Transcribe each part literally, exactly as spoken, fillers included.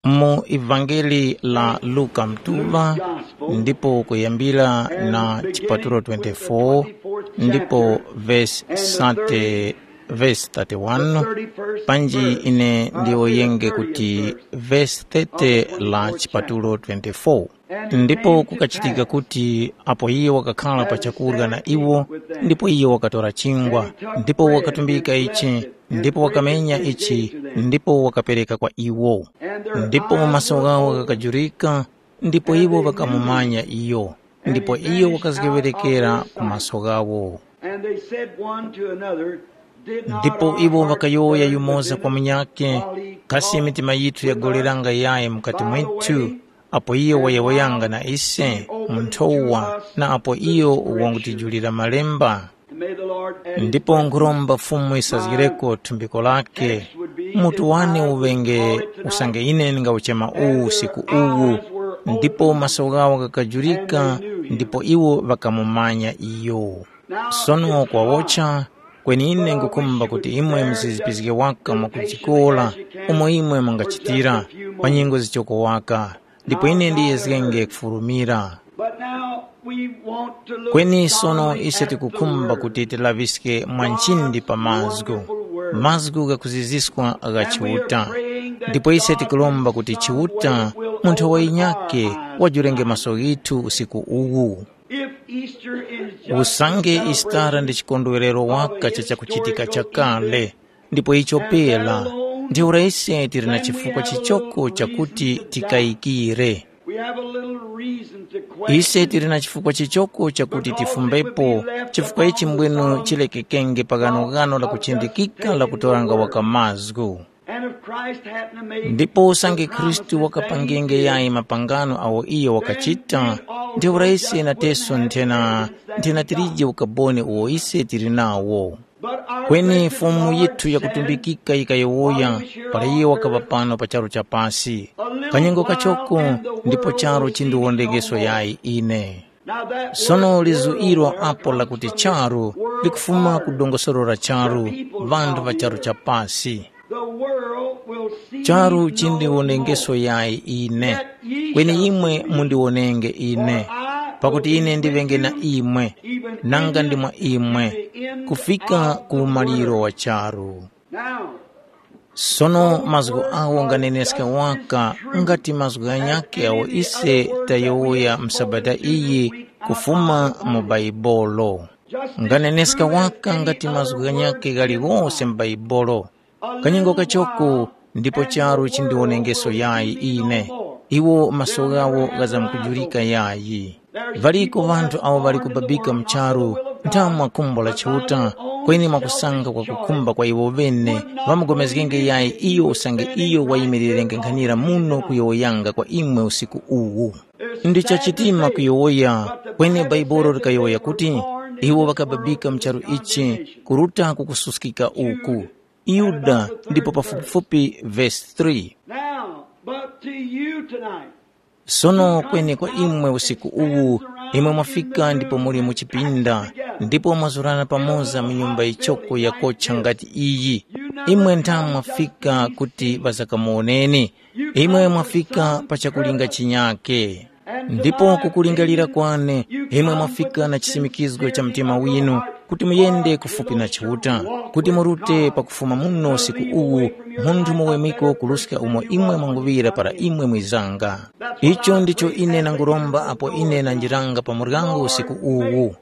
Mu ivangeli la Luka mtuŵa, ndipo kuyambira na chipatulo twenty-four, ndipo vesi sate, vesi thirty-one, panji ine ndiwoyenge kuti vesi thirty la chipatulo twenty-four. Ndipo kukachitika kuti apo iye wakakhala pa chakurya na iwo, ndipo iye wakatora chingwa, ndipo wakatumbika ichi, ndipo wakamenya ichi, ndipo wakapereka kwa iwo. Ndipo maso ghawo ghakajurika, ndipo iwo ŵakamumanya iyo, ndipo iyo wakazgeŵerekera ku maso ghawo. And they said one to another, "Did not Ndipo our iwo hearts ŵakayowoya burn yumoza within kwa us munyakhe, while he kasi talked mitima yithu with us yagoleranga yayi mukati by the mwithu, way, apo iye wayowoyanga na ise mu nthowa, na apo iyo wangutijulira malemba?" And may the Lord add his Ndipo blessing. Nkhuromba Fumu yisazgireko thumbiko lake. Mutu wane uŵenge usange ine ndingawuchema uwu usiku uwu, ndipo maso ghawo ghakajurika, ndipo iwo ŵakamumanya iyo. Sono kwawocha, kweni ine ngukhumba kuti imwe muzizipizge waka mwakujikola umo imwe mungachitira, pa nyengo zichoko waka, ndipo ine ndiyezgenge kufurumira. But now we want to look Kweni sono strongly ise at the tikukhumba word. Kuti tilaŵiske mwa nchindi pa mazgu, mazgu ghakuziziskwa gha Chiuta. Ndipo ise tikulomba kuti Chiuta, munthu wa inyake, wajurenge maso ghithu usiku uwu. If Easter is just Usange a Isitara ndi chikondwerero waka cha chakuchitika chakale, ndipo icho pera, ntheura ise tili na chifukwa chichoko chakuti tikayikire. We have a little reason to question. Ise tili na chifukwa chichoko chakuti tifumbepo, chifukwa ichi mbwino chilekekenge pa ghanoghano la kuchindikika la kutoranga waka mazgu. And if Christ hadn't have made Ndipo usange the Khristu promises that wakapangenge he did, yayi mapangano awo iyo wakachita, ntheura ise nateso nthena, nthena tilije ukaboni uwo ise tili nawo. But our Kweni blessed Fumu Lord yithu said, yakutumbikika yikayowoya, para iye wakapa pano pa charu cha pasi. Kanyengo kachoko, ndipo charu chindiwondengeso yayi ine. Sono lizu ilo apo lakuti charu likufuma ku dongosolo la charu, ŵanthu ŵa charu cha pasi. Charu chindiwonengeso yayi ine, kweni imwe mundiwonenge ine, pakuti ine ndiŵenge na imwe, nanga ndi mwa imwe, kufika ku umaliro wa charu. Sono mazgu agho nganeneska waka nga ti mazgu ghanyakhe agho ise tayowoya mu Sabata iyi kufuma mu Baibolo. Nganeneska waka nga ti mazgu ghanyakhe ghaliwose mu Baibolo. Kanyengo kachoko ndipo charu chindiwonengeso yayi ine, iwo maso ghawo ghazamkujurika yayi. Ŵaliko ŵanthu awo ŵali kubabika mu charu, ntha mwa khumbo la Chiuta, kweni mwakusanga kwa kukhumba kwa iwo ŵene, ŵamugomezgenge yayi iyo usange iyo wayimirirenge nkhanira muno kuyowoyanga kwa imwe usiku uwu. Ndi chachitima kuyowoya, kweni Baibolo likayowoya kuti, iwo ŵakababika mu charu ichi, kuruta ku kususkika uku. Yuda ndipo pafupifupi vesi three. Now, but to you tonight, Sono kweni kwa imwe usiku uwu, imwe mwafika ndipo muli mu chipinda, ndipo mwazurana pamoza mu nyumba yichoko yakocha ngati iyi. Imwe ntha mwafika kuti ŵazakamuwoneni. Imwe mwafika pa chakulinga chinyake. Ndipo kukulingalira kwane, imwe mwafika na chisimikizgo cha mtima winu kuti muyende kufupi na Chiuta, kuti murute pakufuma muno usiku uwu, munthu muwemiko kuruska umo imwe mwanguŵira para imwe mwizanga. Icho ndicho ine nanguromba apo ine nanjiranga pa muryango usiku uwu.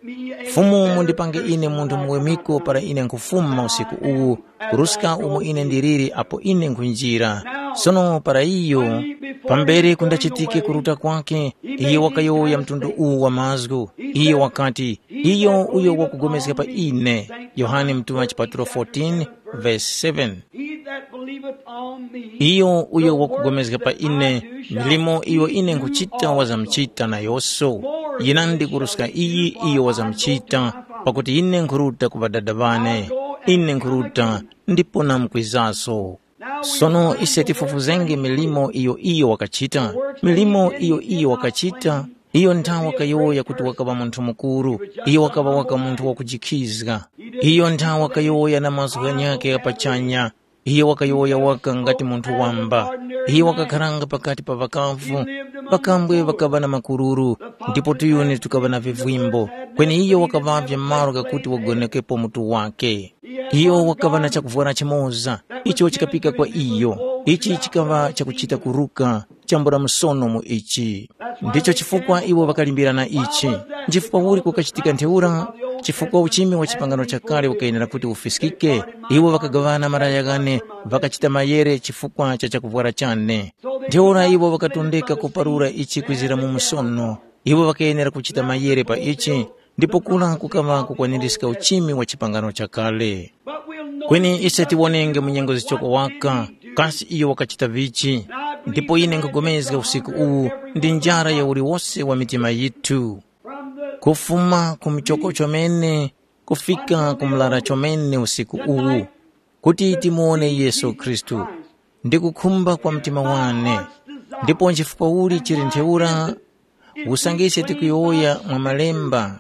Fumu mundipange ine munthu muwemiko para ine nkhufuma usiku uwu, kuruska umo ine ndiliri apo ine nkhunjira. Sono para iyo, pambere kundachitike kuruta kwake, iyo wakayowoya mtundu uwu wa mazgu. Iyo wakati, iyo uyo wakugomezga pa ine. Yohane Mutuŵa chipatulo fourteen, verse seven. He that believeth on me, Iyo uyo wakugomezga pa ine, milimo iyo ine nkhuchita wazamuchita nayonso. Yinandi kuruska iyi iyo wazamuchita, pakuti ine nkhuruta ku Ŵadada ŵane. Ine nkhuruta, ndipo namkwizaso. Sono ise tifufuzenge milimo iyo iyo wakachita. Milimo iyo iyo wakachita, iyo nthawe wakayowoya kuti wakaŵa munthu mukuru, iyo wakaŵa waka munthu wakujikhizga. Iyo nthawe wakayowoya na mazgu ghanyakhe gha pachanya, Iyo wakayowoya waka ngati munthu wamba. Iyo wakakharanga pakati pa ŵakavu. Ŵakambwe ŵakaŵa na makururu, ndipo tuyuni tukaŵa na vivwimbo. Kweni iyo wakaŵavye malo ghakuti wagonekepo mutu wake. Iyo wakaŵa na chakuvwara chimoza, icho chikapika kwa iyo. Ichi chikaŵa chakuchita kuruka chambula msono mu ichi. Ndicho chifukwa iwo ŵakalimbirana ichi. Nchifukwa uli kukachitika ntheura? Chifukwa uchimi wa chipangano chakale ukayenera kuti ufiskike, iwo ŵakagaŵana malaya ghane, ŵakachita mayere chifukwa cha chakuvwara chane. Ntheura iwo ŵakatondeka kuparura ichi kwizira mu msono. Iwo ŵakayenera kuchita mayere pa ichi, ndipo kura kukaŵa kukwanirizga uchimi wa chipangano chakale. Kweni ise tiwonenge mu nyengo zichoko waka, kasi iyo wakachita vichi? Ndipo ine nkhupulikana usiku uwu ndi njara ya uliwose wa mitima yithu, kufuma ku muchoko chomene kufika ku murara chomene usiku uwu, kuti timuwone Yesu Khristu. Ndi kukhumba kwa mtima wane. Ndipo nchifukwa uli chili ntheura? Usange ise tikuyowoya mwa Malemba,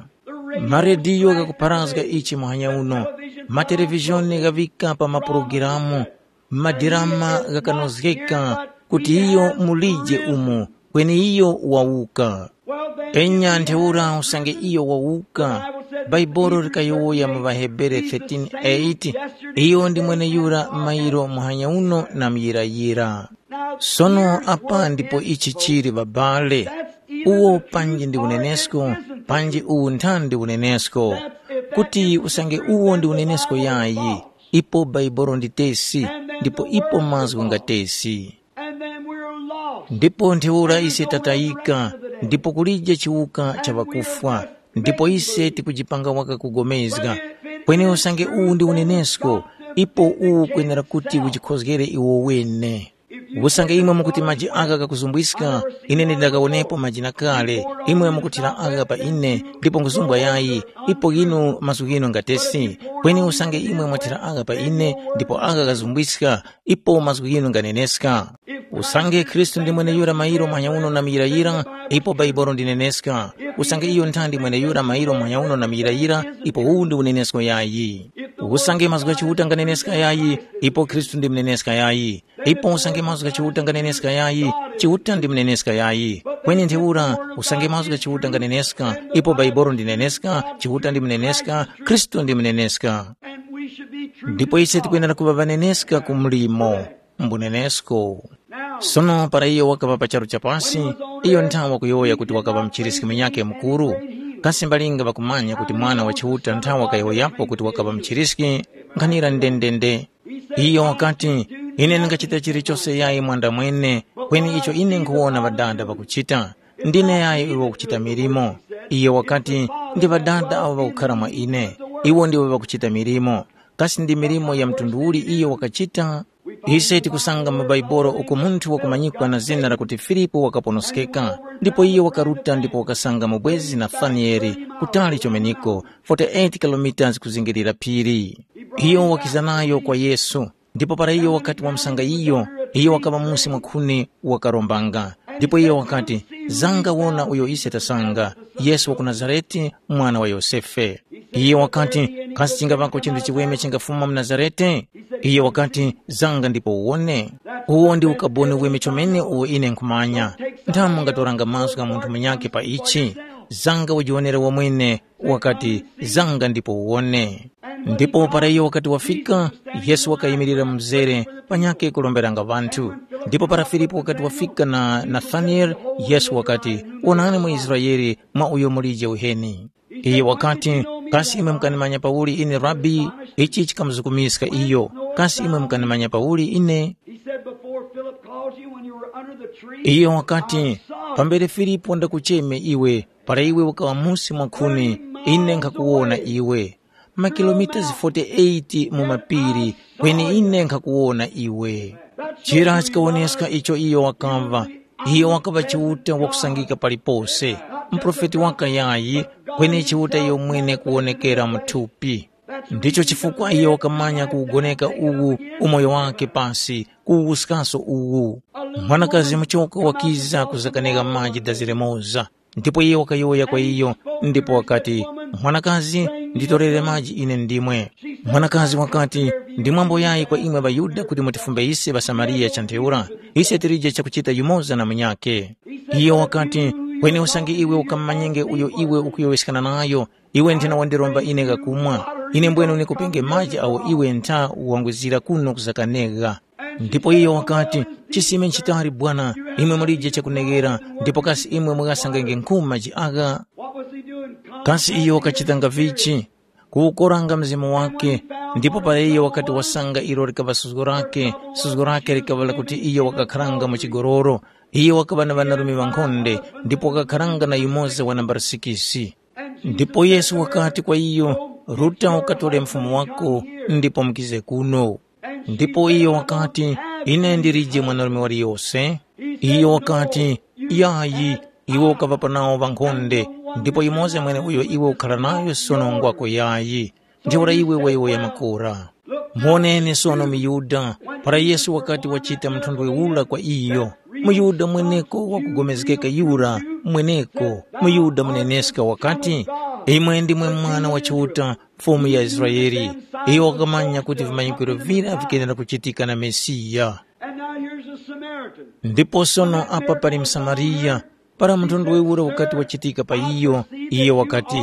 marediyo ghakupharazga ichi muhanya uno, matelevizhoni ghaŵika pa mapulogalamu, madirama ghakanozgeka kuti iyo mulije umo, kweni iyo wawuka. Enya ntheura usange iyo wawuka, Baibolo likayowoya mu ŵaHebere thirteen eight, iyo ndi mweneyura mairo muhanya uno na muyirayira. Sono apa ndipo ichi chili ŵabale, uwo panji ndi unenesko, panji uwu nthandi unenesko, kuti usange uwo ndi unenesko yayi, ipo Baibolo ndi tesi, ndipo ipo mazgu nga tesi. Ndipo ntheura ise tatayika, ndipo kulije chiwuka cha ŵakufwa, ndipo ise tikujipanga waka kugomezga. Kweni usange uwu ndi unenesko, ipo uwu kwenera kuti ujikhozgere iwo wene. Usange imwe mukuti maji agha ghakuzumbwiska, ine ndindakawonepo maji na kale, imwe mukuthira agha pa ine, ndipo nkhuzumbwa yayi, ipo ghinu mazgu ghinu ngatesi. Kweni usange imwe mwathira agha pa ine, ndipo agha ghazumbwiska, ipo mazgu ghinu nganeneska. Usange Khristu ndi mweneyura mairo muhanya uno na muyirayira, ipo Baibolo ndineneska. Usange iyo nthandi mweneyura mairo muhanya uno na muyirayira, ipo uwu ndi unenesko yayi. Usange mazgu gha Chiuta nganeneska yayi, ipo Khristu ndi muneneska yayi. Ipo usange mazgu gha Chiuta nganeneska yayi, Chiuta ndi muneneska yayi. Kweni ntheura, usange mazgu gha Chiuta nganeneska, ipo Baibolo ndineneska, Chiuta ndi muneneska, Khristu ndi muneneska. Ndipo ise tikwenera kuŵa ŵaneneska ku mlimo, mbunenesko. Sono para iyo wakaŵa pa charu cha pasi, iyo nthawa wakuyowoya kuti wakaŵa muchiriski munyakhe mukuru. Kasi mbalinga ŵakumanya kuti Mwana wa Chiuta nthawa wakayowoyapo kuti wakaŵa muchiriski? Nkhanira ndendende. Iyo wakati, “Ine ndingachita chilichose yayi mwandamwene, kweni icho ine nkhuwona Ŵadada ŵakuchita, ndine yayi uyo wakuchita milimo.” Iyo wakati, “Ndi Ŵadada awo ŵakukhara mwa ine, iwo ndiwo ŵakuchita milimo.” Kasi ndi milimo ya mtundu uli iyo wakachita? Ise tikusanga mu Baibolo uko munthu wakumanyikwa na zina lakuti Filipu wakaponoskeka, ndipo iyo wakaruta ndipo wakasanga mubwezi Nathanieli kutali chomeneko, forty-eight kilometres kuzingirira phiri. Iyo wakiza nayo kwa Yesu, ndipo para iyo wakati wamusanga iyo, iyo wakaŵa musi mwa khuni wakarombanga. Ndipo iyo wakati, “Zanga wona uyo ise tasanga, Yesu wa ku Nazarete, mwana wa Yosefe.” Iye wakati, “Kasi chingaŵako chinthu chiweme chingafuma mu Nazarete?” Iye wakati, “Zanga ndipo uwone. Uwo ndi ukaboni weme chomene uwo ine nkhumanya. Nthamu ngatoranga mazgu gha munthu munyakhe pa ichi? Zanga ujiwonere wamwene.” Wakati, “Zanga ndipo uwone.” Ndipo para iyo wakati wafika, Yesu wakayimirira mzere panyakhe kuromberanga ŵanthu. Ndipo para Filipu wakati wafika na Nathanieli, Yesu wakati, “Wonani muIsraele mwa uyo mulije uheni.” Iye wakati, “Kasi imwe mukanimanya pauli ine, Rabi?” Ichi chikamuzukumiska iyo. “Kasi imwe mukanimanya pauli ine?” He said, "Before Philip called you when you were under the tree, Iyo wakati, "Pambere Filipo ndakucheme iwe, para iwe ukaŵa musi mwa khuni, ine nkhakuwona iwe. Makilomita forty-eight mu mapiri, kweni ine nkhakuwona iwe." Chira chikawoneska icho iyo wakamva. Iyo wakaŵa Chiuta wakusangika palipose, muprofeti wakayayi, kweni Chiuta iyo mwene kuwonekera mu thupi. Ndicho chifukwa iyo wakamanya kuwugoneka uwu umoyo wakhe pasi, kuwuskaso uwu. Mwanakazi muchoko wakiza kuzakanika maji dazi limoza, ndipo iye wakayowoya kwa iyo, ndipo wakati, "Mwanakazi, nditorere maji ine ndimwe. Mwanakazi wakati, ndi mwambo yayi kwa imwe ŵaYuda kuti mutifumbe ise ŵaSamariya cha ntheura? Ise tilije chakuchita yumoza na munyakhe. Iyo wakati, kweni usange iwe ukamumanyenge uyo iwe ukuyowoyeskana nayo, iwe nthena wandiromba ine ghakumwa. Ine mbwene unikupenge maji agho iwe ntha wangwizira kuno kuzakanegha. Ndipo iyo wakati, chisime nchitali bwana, imwe mulije chakuneghera, ndipo kasi imwe mughasangenge nkhuma maji agha? Kasi iyo wakachitanga vichi? Kuwukoranga mzimu wake. Ndipo para iyo wakati wasanga ilo likaŵa suzgo lake, suzgo lake likaŵa lakuti iyo wakakharanga mu chigoloro. Iyo wakaŵa na ŵanarume ŵankhonde, ndipo wakakharanga na yumoza wa nambala sikisi. Ndipo Yesu wakati kwa iyo, ruta ukatore mfumu wako, ndipo mukize kuno. Ndipo iyo wakati, ine ndilije mwanarume waliyose. Iyo wakati, yayi, iwe ukaŵapa nawo ŵankhonde, ndipo yumoza mweneuyo iwe ukhara nayo sono ngwako yayi. Ntheura iwe wayowoya makora. Muwoneni sono muYuda, para Yesu wakati wachita mthondwe ura kwa iyo. MuYuda mweneko wakugomezgeka yura, mweneko, muYuda muneneska wakati, imwe ndimwe mwana wa Chiuta, Fumu ya Israele. Iyo wakamanya kuti vimanyikwiro vira vikenera kuchitika na Mesiya. And now here's a Samaritan. Ndipo sono apa pali Msamariya. Para mthondwe ura ukati wachitika pa iyo, iye wakati,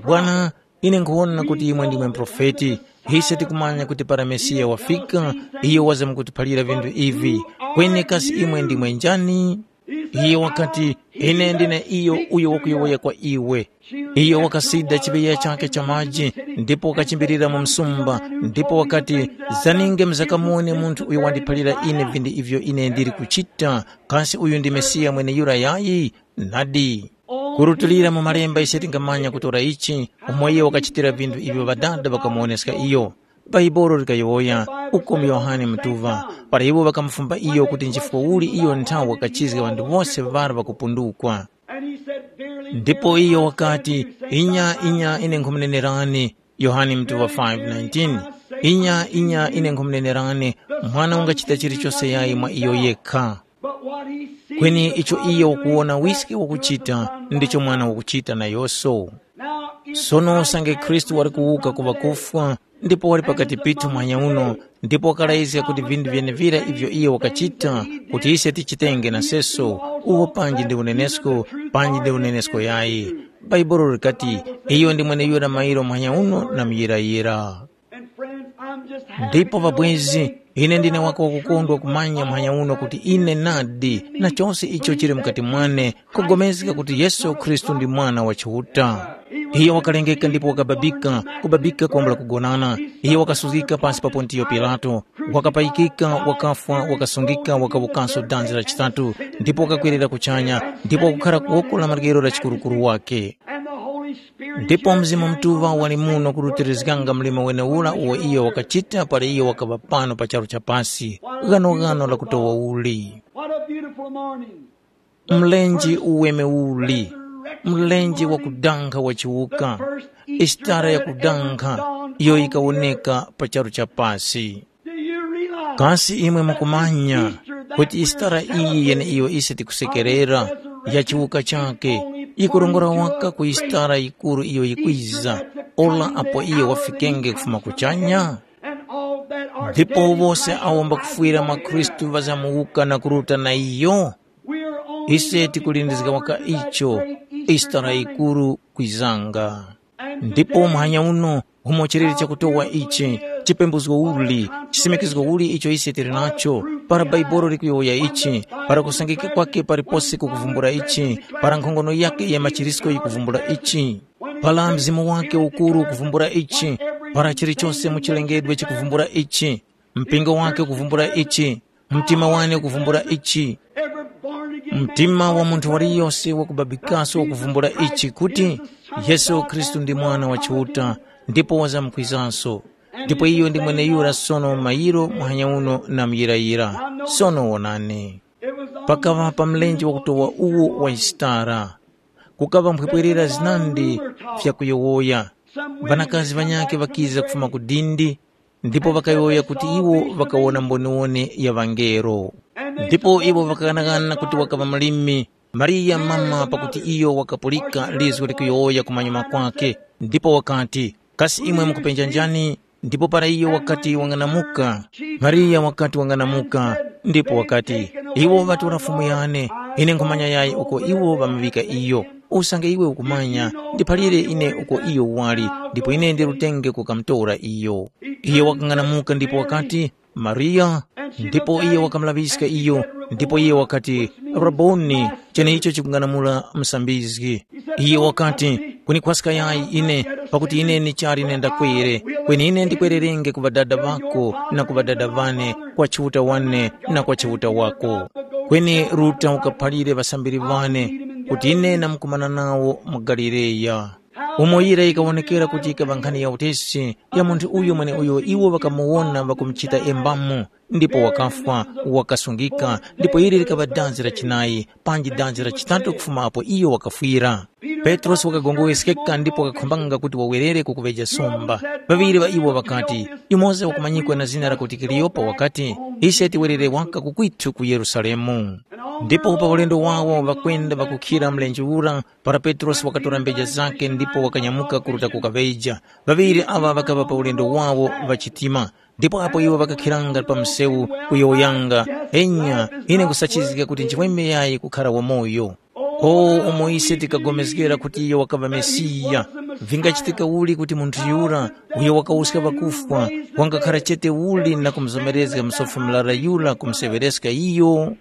bwana, ine nkhuwona kuti imwe ndimwe muprofeti. Ise tikumanya kuti para Mesiya wafika, iyo wazamkutiphalira vinthu ivi. Kweni kasi imwe ndimwe njani? Iye wakati, ine ndine iyo uyo wakuyowoya kwa iwe. Iyo wakasida chiŵeya chakhe cha maji, ndipo wakachimbilira mu msumba, ndipo wakati, zaninge muzakamuwone munthu uyo wandiphalira ine vinthu ivyo ine ndili kuchita. Kasi uyu ndi Mesiya mweneyura yayi? Nadi. Kurutilira mu malemba ise tingamanya kutora ichi, umo iye wakachitira vinthu ivyo Ŵadada ŵakamuwoneska iyo. Bhaibuli likayowoya, uko mu Yohane mutuŵa, para iwo ŵakamufumba iyo kuti nchifukwa uli iyo nthawe wakachizga ŵanthu wose ŵara ŵakupundukwa. Ndipo iyo wakati, inya inya ine nkhumunenerani, Yohane mutuŵa five nineteen, inya inya ine nkhumunenerani, mwana ungachita chilichose yayi mwa iyo yekha. Kweni icho iye ukuwona wiske wakuchita, ndicho mwana wakuchita nayonso. Sono usange Khristu wali kuwuka ku ŵakufwa, ndipo wali pakati pithu muhanya uno, ndipo wakalayizga kuti vinthu vyenevira ivyo iye wakachita, kuti ise tichitenge naseso, uwo panji ndi unenesko, panji ndi unenesko yayi. Bhaibuli likati, iyo ndi mweneyura mairo muhanya uno na muyirayira. Ndipo ŵabwezi, ine ndine waka wakukondwa kumanya muhanya uno kuti ine nadi na chose icho chili mukati mwane, kugomezga kuti Yesu Khristu ndi Mwana wa Chiuta. Iyo wakalengeka ndipo wakababika, kubabika kwambula kugonana. Iyo wakasuzgika pasi pa Pontiyo Pilato, wakapayikika, wakafwa, wakasungika, wakawukanso danzi la chitatu, ndipo wakakwerera kuchanya, ndipo wakukhara ku woko la maryero la chikurukuru wake. Ndipo Mzimu Mutuŵa wali muno kurutirizganga mlimo wenewura uwo iyo wakachita para iyo wakaŵa pano pa charu cha pasi, ghanoghano la kutowa uli. What a beautiful morning. Mlenje uweme uli, mlenje wakudankha wachiwuka, isitara yakudankha iyo yikawoneka pa charu cha pasi. Do you realize Kasi imwe mukumanya kuti isitara iyi yeneiyo ise tikusekerera ya chiwuka chake yikurongora waka ku isitara yikuru iyo yikwiza, ola apo iyo wafikenge kufuma kuchanya? Ndipo wose awo mbakufwira mwa Khristu ŵazamuwuka na kuruta na iyo. Ise tikulindizga waka icho, isitara yikuru kwizanga. Ndipo muhanya uno, umo chilere chakutowa ichi, chipembuzgo uli, chisimikizgo uli icho ise tili nacho, para Baibolo likuyowoya ichi, para kusangika kwake palipose kukuvumbula ichi, para nkhongono yake ya machirisko yikuvumbula ichi, para mzimu wake ukuru ukuvumbula ichi, para chilichose mu chilengedwe chikuvumbula ichi, mpingo wake ukuvumbula ichi, mtima wane ukuvumbula ichi. Mtima wa munthu waliyose wakubabikaso ukuvumbula ichi kuti Yesu Khristu ndi Mwana wa Chiuta, ndipo wazamkwizanso. Ndipo iyo ndi mweneyura sono mayiro muhanya uno na muyirayira. Sono wonani. Pakaŵa pa mlenje wakutowa uwo wa isitara. Kukaŵa mphwepwerera zinandi vyakuyowoya. Ŵanakazi ŵanyakhe ŵakiza kufuma ku dindi, ndipo ŵakayowoya kuti iwo ŵakawona mboniwone ya ŵangelo. Ndipo iwo ŵakaghanaghana kuti wakaŵa mlimi, Mariya mama pakuti iyo wakapulika lizgu likuyowoya kumanyuma kwakhe, ndipo wakati, Kasi imwe mukupenja njani? Ndipo para iyo wakati wang'anamuka, Mariya wakati wang'anamuka, ndipo wakati, “Iwo ŵatora Fumu yane, ine nkhumanya yayi uko iwo ŵamuŵika iyo. Usange iwe ukumanya, ndiphalire ine uko iyo wali, ndipo ine ndirutenge kukamutora iyo.” Iyo wakang'anamuka ndipo wakati, “Mariya.” Ndipo iye wakamulaŵiska iyo, ndipo iye wakati, “Raboni,” cheneicho chikung'anamula musambizgi. Iye wakati, “Kunikhwaska yayi ine, pakuti ine ndichali nendakwere, kweni ine ndikwererenge ku ŵadada ŵako na ku ŵadada ŵane, kwa Chiuta wane na kwa Chiuta wako. Kweni ruta ukaphalire ŵasambiri ŵane kuti ine ndamkumana nawo mu Galileya.” Umo yira yikawonekera kuti yikaŵa nkhani ya utesi ya munthu uyo mweneuyo iwo ŵakamuwona ŵakumuchita embamu, ndipo wakafwa, wakasungika, ndipo ili likaŵa danzi la chinayi, panji danzi la chitatu kufuma apo iyo wakafwira. Petrosi wakagongoweskeka ndipo wakakhumbanga kuti wawerere kukuŵeja sumba. Ŵaŵiri ŵa iwo ŵakati, yumoza wakumanyikwa na zina lakuti Kaliyopa wakati, “Ise tiwerere waka kukwithu ku Yerusalemu.” Ndipo pa ulendo wawo ŵakwenda ŵakukhira mlenje ura, para Petrosi wakatora mbeja zakhe ndipo wakanyamuka kuruta kukaŵeja. Ŵaŵiri aŵa ŵakaŵa pa ulendo wawo ŵachitima. Ndipo apo iwo ŵakakhiranga pa msewu kuyowoyanga, enya, ine nkhusachizgika kuti nchimwemwe yayi kukhara wamoyo. O umo ise tikapulikana kuti iyo wakaŵa Mesiya, vingachitika uli kuti munthu yura uyo wakawuska ŵakufwa wangakhara chete uli na kumuzomerezga musofi murara yura kumuseŵereska iyo?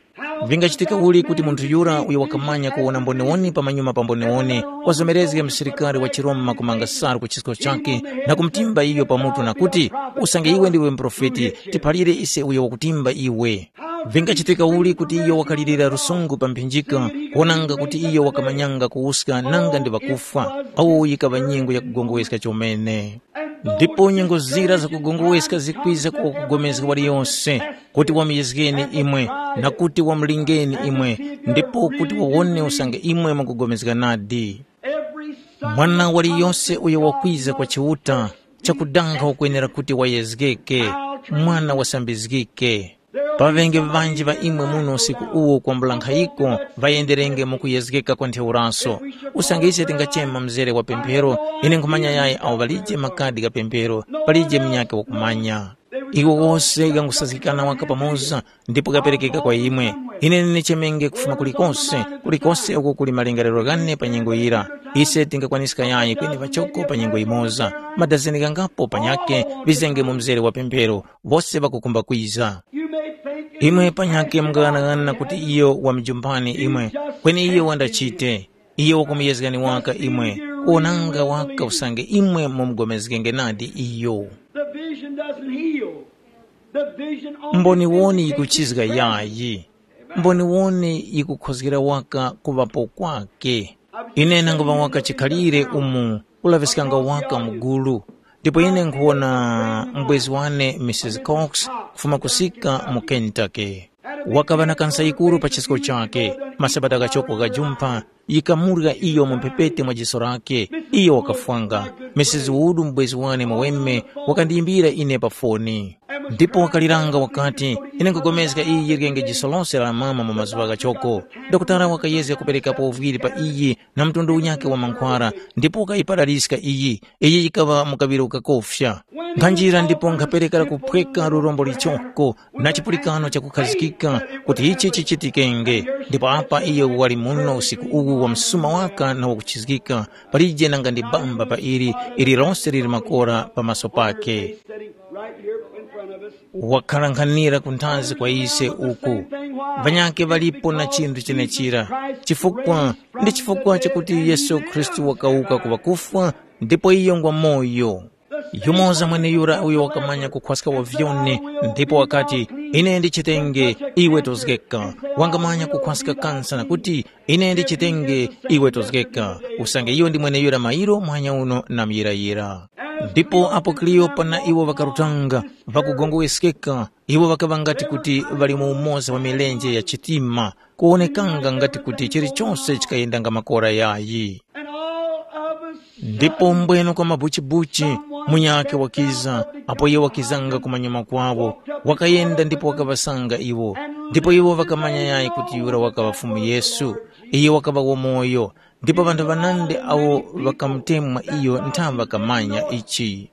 Vingachitika uli kuti munthu yura uyo wakamanya kuwona mboniwoni pamanyuma pa mboniwoni wazomerezge msilikari wa chiRoma kumanga salu ku chisko chakhe na kumutimba iyo pamutu na kuti, “Usange iwe ndiwe muprofeti, tiphalire ise uyo wakutimba iwe?” Vingachitika uli kuti iyo wakalirira lusungu pa mphinjika, kuwonanga kuti iyo wakamanyanga kuwuska nanga ndi ŵakufwa? Awo yikaŵa nyengo yakugongoweska chomene. Ndipo nyengo zira zakugongoweska zikwiza ku wakugomezga waliyose, kuti wamuyezgeni imwe, na kuti wamulingeni imwe, ndipo kuti wawone usange imwe mukugomezga nadi. Mwana waliyose uyo wakwiza kwa Chiuta, chakudanga wakwenera kuti wayezgeke, mwana wasambizgike. Pa ŵenge ŵanji ŵa imwe muno usiku uwu kwambula nkhayiko ŵayenderenge mu kuyezgeka kwa ntheuraso. Usange ise tingachema mzere wa pemphero, ine nkhumanya yayi awo ŵalije makadi gha pemphero, palije munyakhe wakumanya. Iwo wose ghangusaskikana waka pamoza ndipo ghaperekeka kwa imwe. Ine ndinichemenge kufuma kulikose, kulikose uko kuli malingaliro ghane pa nyengo yira. Ise tingakwaniska yayi kweni pachoko pa nyengo yimoza. Madazeni ghangapo panyakhe ŵizenge mu mzere wa pemphero, wose ŵakukhumba kwiza. Imwe panyakhe mungaghanaghananga kuti iyo wamujumpani imwe, kweni iyo wandachite. Iyo wakumuyezgani waka imwe, kuwonanga waka usange imwe mumugomezgenge nadi iyo. The vision doesn't heal. The vision only Mboniwoni vindicates yikuchizga the presence. Yayi. Mboniwoni yikukhozgera waka kuŵapo kwake. Ine nanguŵa waka chikhalire umu kulaŵiskanga waka mu gulu, ndipo ine nkhuwona mubwezi wane Misisi Cox kufuma kusika mu Kentucky. Wakaŵa na kansa yikuru pa chisko chakhe, masabata ghachoko ghajumpha yikamurya iyo mu mphepete mwa jiso lakhe, iyo wakafwanga. Misisi Wood mubwezi wane muweme wakandiyimbira ine pa foni. Ndipo wakaliranga wakati, ine nkhupulikana iyi yiryenge jiso lose la mama mu mazuŵa ghachoko. Dokotala wakayezga kuperekapo uvwiri pa iyi na mtundu unyakhe wa mankhwara, ndipo wakayiparaliska iyi. Iyi yikaŵa mu kaŵiro kakofya. Nkhanjira ndipo nkhapereka kuphweka lurombo lichoko na chipulikano chakukhazikika kuti ichi chichitikenge. Ndipo apa iyo wali muno usiku uwu wa msuma waka na wakuchizgika, palije nanga ndi bamba pa ili, ili lose lili makora pa maso pake. Sitting right here in front of us. Wakhala nkhanira kunthazi kwa ise uku. Vanyakhe ŵalipo na chinthu chenechira. Chifukwa, ndi chifukwa chakuti Yesu Khristu wakawuka ku ŵakufwa, ndipo iyo ngwa moyo. Yumoza mweneyura uyo wakamanya kukhwaska wa vyoni, ndipo wakati, ine ndichitenge, iwe tozgeka. Wangamanya kukhwaska kansa na kuti, ine ndichitenge, iwe tozgeka. Usange iyo ndi mweneyura mairo muhanya uno na muyirayira. Ndipo apo Kleopa na iwo ŵakarutanga, ŵakugongoweskeka, iwo ŵakaŵa ngati kuti ŵali mu umoza wa milenje ya chitima, kuwonekanga ngati kuti chilichose chikayendanga makora yayi. And all of a sudden, ndipo mbweno kwa mabuchibuchi, munyakhe wakiza, apo iye wakizanga kumanyuma kwawo, wakayenda ndipo wakaŵasanga iwo. Ndipo iwo ŵakamanya yayi kuti yura wakaŵa Fumu Yesu. Iye wakaŵa wamoyo, Ndipo ŵanthu ŵanandi awo ŵakamutemwa iyo ntha ŵakamanya ichi.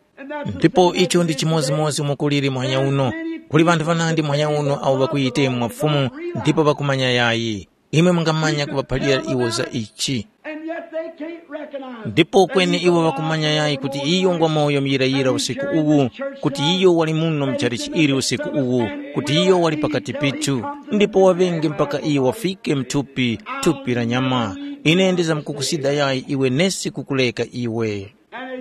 Ndipo icho ndi chimodzimodzi umo kuliri muhanya uno. Kuli ŵanthu ŵanandi muhanya uno awo ŵakuyitemwa Fumu ndipo ŵakumanya yayi. Imwe mungamanya kuŵaphalira iwo za ichi. And yet they can't recognize. Ndipo kweni iwo ŵakumanya yayi kuti iyo ngwa moyo muyirayira usiku uwu, kuti iyo wali muno mchalichi ili usiku uwu, kuti iyo wali pakati pithu, ndipo waŵenge mpaka iyo wafike mthupi, thupi la nyama. Ine ndizamkukusida yayi iwe nesi kukuleka iwe.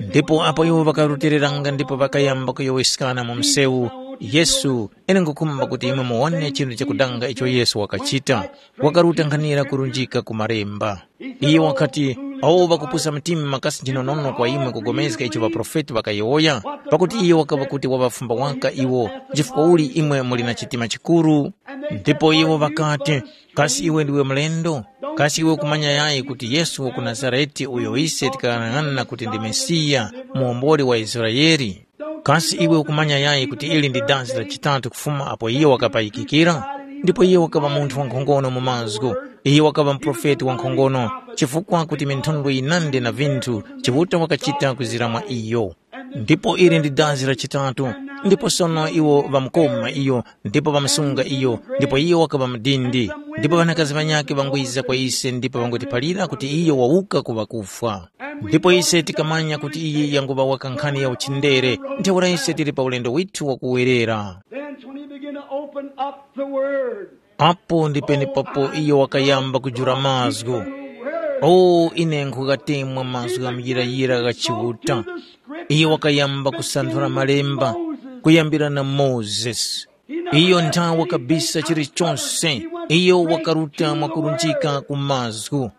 Ndipo apo iwo ŵakarutiliranga ndipo ŵakayamba kuyowoyeskana mu msewu, Yesu, ine nkhukhumba kuti imwe muwone chinthu chakudanga icho Yesu wakachita. Wakaruta nkhanira kurunjika ku malemba. Iye wakati, awo ŵakupusa mtima kasi nchinonono kwa imwe kugomezga icho ŵaprofeti ŵakayowoya? Pakuti iye wakaŵa kuti waŵafumba waka iwo, chifukwa uli imwe muli na chitima chikuru? Ndipo iwo ŵakati, kasi iwe ndiwe mlendo? Kasi iwe ukumanya yayi kuti Yesu wa ku Nazarete uyo ise tikaghanag'ana kuti ndi Mesiya, muwomboli wa Israele? Kasi iwe ukumanya yayi kuti ili ndi dazi la chitatu kufuma apo iyo wakapayikikira? Ndipo iyo wakaŵa munthu wankhongono mu mazgu. Iyo wakaŵa muprofeti wankhongono, chifukwa kuti minthondwe yinandi na vinthu Chiuta wakachita kwizira mwa iyo. Ndipo ili ndi dazi la chitatu. Ndipo sono iwo ŵamukoma iyo, ndipo ŵamusunga iyo, ndipo iyo wakaŵa mudindi. Ndipo ŵanakazi ŵanyakhe ŵangwiza kwa ise ndipo ŵangutiphalira kuti iyo wawuka ku ŵakufwa. Ndipo ise tikamanya kuti iyi yanguŵa waka nkhani ya uchindere, ntheura ise tili pa ulendo withu wakuwerera. Then when he began to open up the word, apo ndi penepapo iyo wakayamba kujula mazgu. O, ine nkhukatemwa mazgu gha muyirayira gha Chiuta. Iyo wakayamba kusanthula malemba kuyambira na Mozesi. Iyo nthawa kabisa chilichonse, iyo wakaruta mwakurunjika ku mazgu.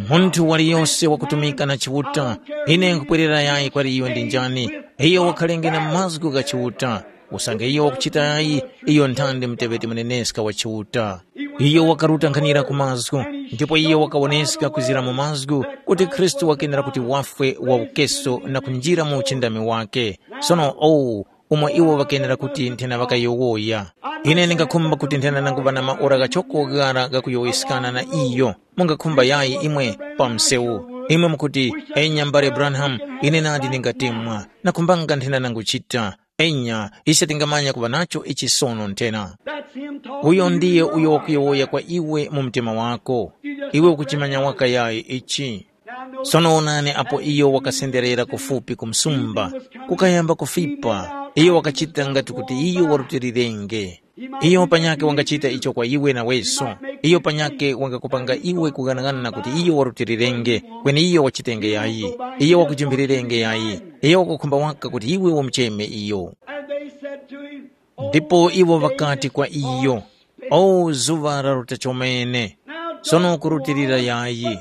Munthu waliyose wakutumika na Chiuta, ine nkupwerera yayi kwali iyo ndi njani? Iyo wakhalenge na mazgu gha Chiuta. Usange iyo wakuchita yayi, iyo nthandi muteŵeti muneneska wa Chiuta. Iyo wakaruta nkhanira ku mazgu, ndipo iyo wakawoneska kwizira mu mazgu kuti Khristu wakenera kuti wafwe wawukeso na kunjira mu uchindami wake. Sono owu, umo iwo ŵakenera kuti nthena ŵakayowoya. Ine ndingakhumba kuti nthena nanguŵa na maora ghachoko ghara ghakuyowoyeskana na iyo. Mungakhumba yayi imwe pa msewu. Imwe mukuti, enya mbale Branham, ine nadi ndingatemwa. Nakhumbanga nthena nanguchita. Enya, ise tingamanya kuŵa nacho ichi sono nthena. That's him talking. Uyo ndiye uyo wakuyowoya kwa iwe mu mtima wako. Iwe ukuchimanya waka yayi ichi. Sono wonani apo iyo wakasenderera kufupi ku msumba, kukayamba kufipa, iyo wakachita ngati kuti iyo warutilirenge. Iyo panyakhe wangachita icho kwa iwe naweso. Iyo panyakhe wangakupanga iwe kughanagana kuti iyo warutilirenge, kweni iyo wachitenge yayi. Iyo wakujimphilirenge yayi. Iyo wakukhumba waka kuti iwe umucheme iyo. And they said to him, ndipo iwo ŵakati kwa iyo, o zuŵa laruta chomene, sono kurutilira yayi,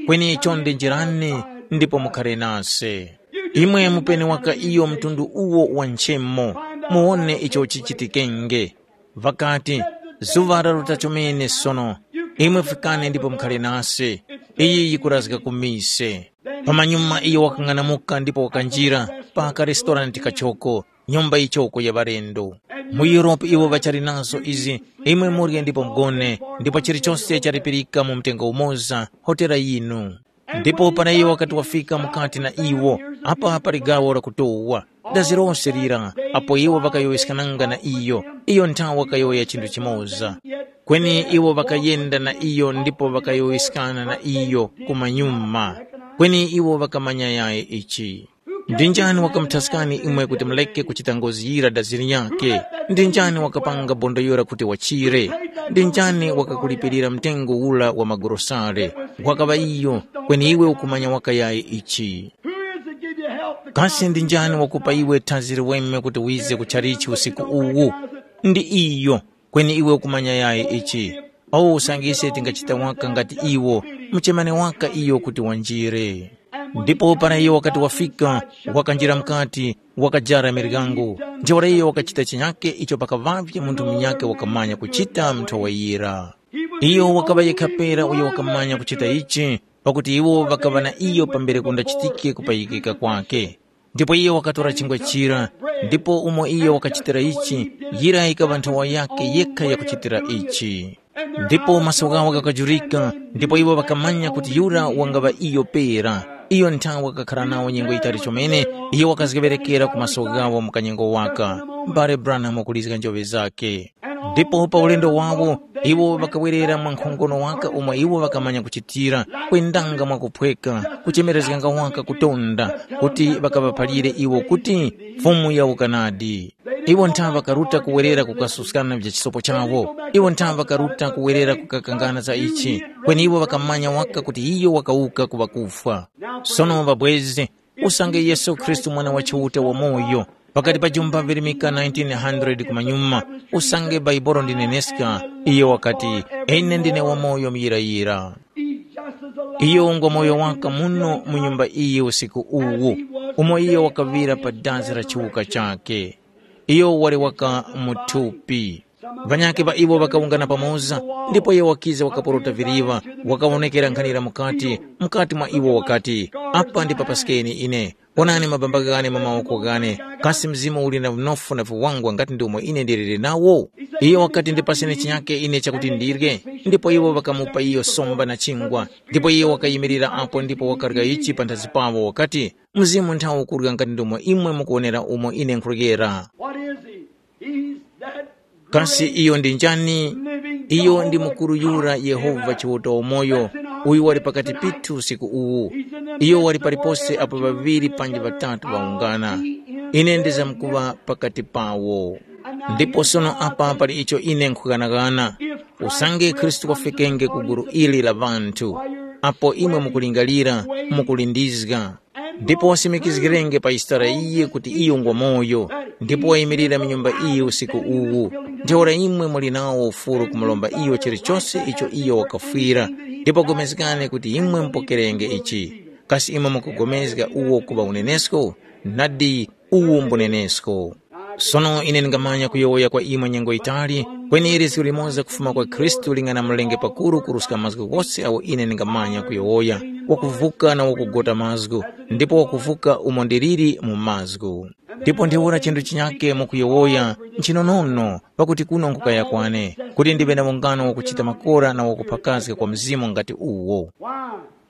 kweni chonde njirani ndipo mukhare nase. Imwe mupeni waka iyo mtundu uwo wa nchemo, muwone icho chichitikenge. Ŵakati, zuŵa laruta chomene sono, imwe fikani ndipo mukhare nase, iyi yikurazga ku mise. Pamanyuma iyo wakang'anamuka ndipo wakanjira pa karestorante kachoko, nyumba yichoko ya ŵalendo. Mu Europe iwo ŵachali nazo izi, imwe murye ndipo mugone, ndipo chilichose chalipirika mu mtengo umoza, hotera yinu. Ndipo para iyo wakati wafika mukati na iwo, apa pali gawo lakutowa. Dazi lose lira, apo iwo ŵakayowoyeskananga na iyo, iyo nthawe wakayowoya chinthu chimoza. Kweni iwo ŵakayenda na iyo ndipo ŵakayowoyeskana na iyo kumanyuma. Kweni iwo ŵakamanya yayi ichi. Ndi njani wakamuthaskani imwe kuti muleke kuchita ngozi yira dazi linyakhe? Ndi njani wakapanga bondo yura kuti wachire? Ndi njani wakakulipirira mtengo ula wa magorosale? Wakaŵa iyo, kweni iwe ukumanya waka yayi ichi. Who is it give you help to come? Kasi ndi njani wakupa iwe thanzi liweme kuti wize kuchalichi usiku uwu? Ndi iyo, kweni iwe ukumanya yayi ichi. Awo usange ise tingachita waka ngati iwo, muchemani waka iyo kuti wanjire. Ndipo para iyo wakati wafika, wakanjira mukati, wakajara miryango. Ntheura iyo wakachita chinyake icho pakaŵavye munthu munyakhe wakamanya kuchita nthowa yira. Iyo wakaŵa yekha pera uyo wakamanya kuchita ichi, pakuti iwo ŵakaŵa na iyo pambere kundachitike kupayikika kwake. Ndipo iyo wakatora chingwa chira, ndipo umo iyo wakachitira ichi, yira yikaŵa nthowa yakhe yekha yakuchitira ichi. Ndipo maso ghawo ghakajurika, ndipo iwo ŵakamanya kuti yura wangaŵa iyo pera. Iyo nthawe wakakhala nawo nyengo yitali chomene, iyo wakazgeŵerekera ku maso ghawo mu kanyengo waka. M'bale Branham wakulizga njoŵe zakhe. Ndipo pa ulendo wawo, iwo ŵakawerera mwa nkhongono waka umo iwo ŵakamanya kuchitira, kwendanga mwakuphweka, kuchemerezganga waka kutonda, kuti ŵakaŵaphalire iwo kuti, Fumu yawuka nadi. Iwo ntha ŵakaruta kuwerera kukasuskana vya chisopo chawo. Iwo ntha ŵakaruta kuwerera kukakangana za ichi, kweni iwo ŵakamanya waka kuti iyo wakawuka ku ŵakufwa. Sono ŵabwezi, usange Yesu Khristu Mwana wa Chiuta wamoyo, pakati pa jumba virimika nineteen hundred kumanyuma, usange Baibolo ndineneska, iyo wakati, ine ndine wamoyo muyirayira. Iyo ngwa moyo waka muno mu nyumba iyi usiku uwu, umo iyo wakaŵira pa dazi la chiwuka chakhe. Iyo wali waka mu thupi. Ŵanyakhe ŵa iwo ŵakawungana pamoza, ndipo iyo wakiza wakaporota viriŵa, wakawonekera nkhanira mukati, mukati mwa iwo wakati, apa ndipapaskeni ine. Onani mabamba ghane mwa mawoko ghane, kasi mzimu uli na vinofu na viwangwa ngati ndi umo ine ndiliri nawo? Iyo wakati, ndipaseni chinyake ine chakuti ndirye. Ndipo iwo ŵakamupa iyo somba na chingwa, ndipo iyo wakayimirira apo ndipo wakarya ichi panthazi pawo wakati, mzimu nthawo ukurya ngati ndomo imwe mukuwonera umo ine nkhuryera. What is he? He's that Kasi great iyo ndi njani? Living Iyo ndi God mukuru yura Yehova Chiuta wamoyo, uyu wali pakati pithu usiku uwu. Iyo wali palipose apo ŵaŵiri panji ŵatatu ŵawungana. Ine ndizamkuŵa pakati pawo. Ndipo sono apa pali icho ine nkhughanaghana. Usange Khristu wafikenge ku gulu ili la ŵanthu, apo imwe mukulingalira, mukulindizga, ndipo wasimikizgirenge pa Yisitara iye kuti iyo ngwamoyo, ndipo wayimirira mu nyumba iyi usiku uwu, ntheura imwe muli nawo ufuru kumuromba iyo chilichose icho iyo wakafwira, ndipo pulikani kuti imwe mupokerenge ichi. Kasi imwe mukupulikana uwo kuŵa unenesko? Nadi, uwu mbunenesko. Sono ine ndingamanya kuyowoya kwa imwe nyengo yitali, kweni lizgu limoza kufuma kwa Khristu lingana mlenge pakuru kuruska mazgu ghose agho ine ndingamanya kuyowoya, wakuvuka na wakugota mazgu, ndipo wakuvuka umo ndiliri mu mazgu. Ndipo ntheura chinthu chinyakhe mukuyowoya nchinonono, pakuti kuno nkukaya kwane, kuti ndiŵe na ungano wakuchita makora na wakuphakazga kwa mzimu ngati uwo. Why?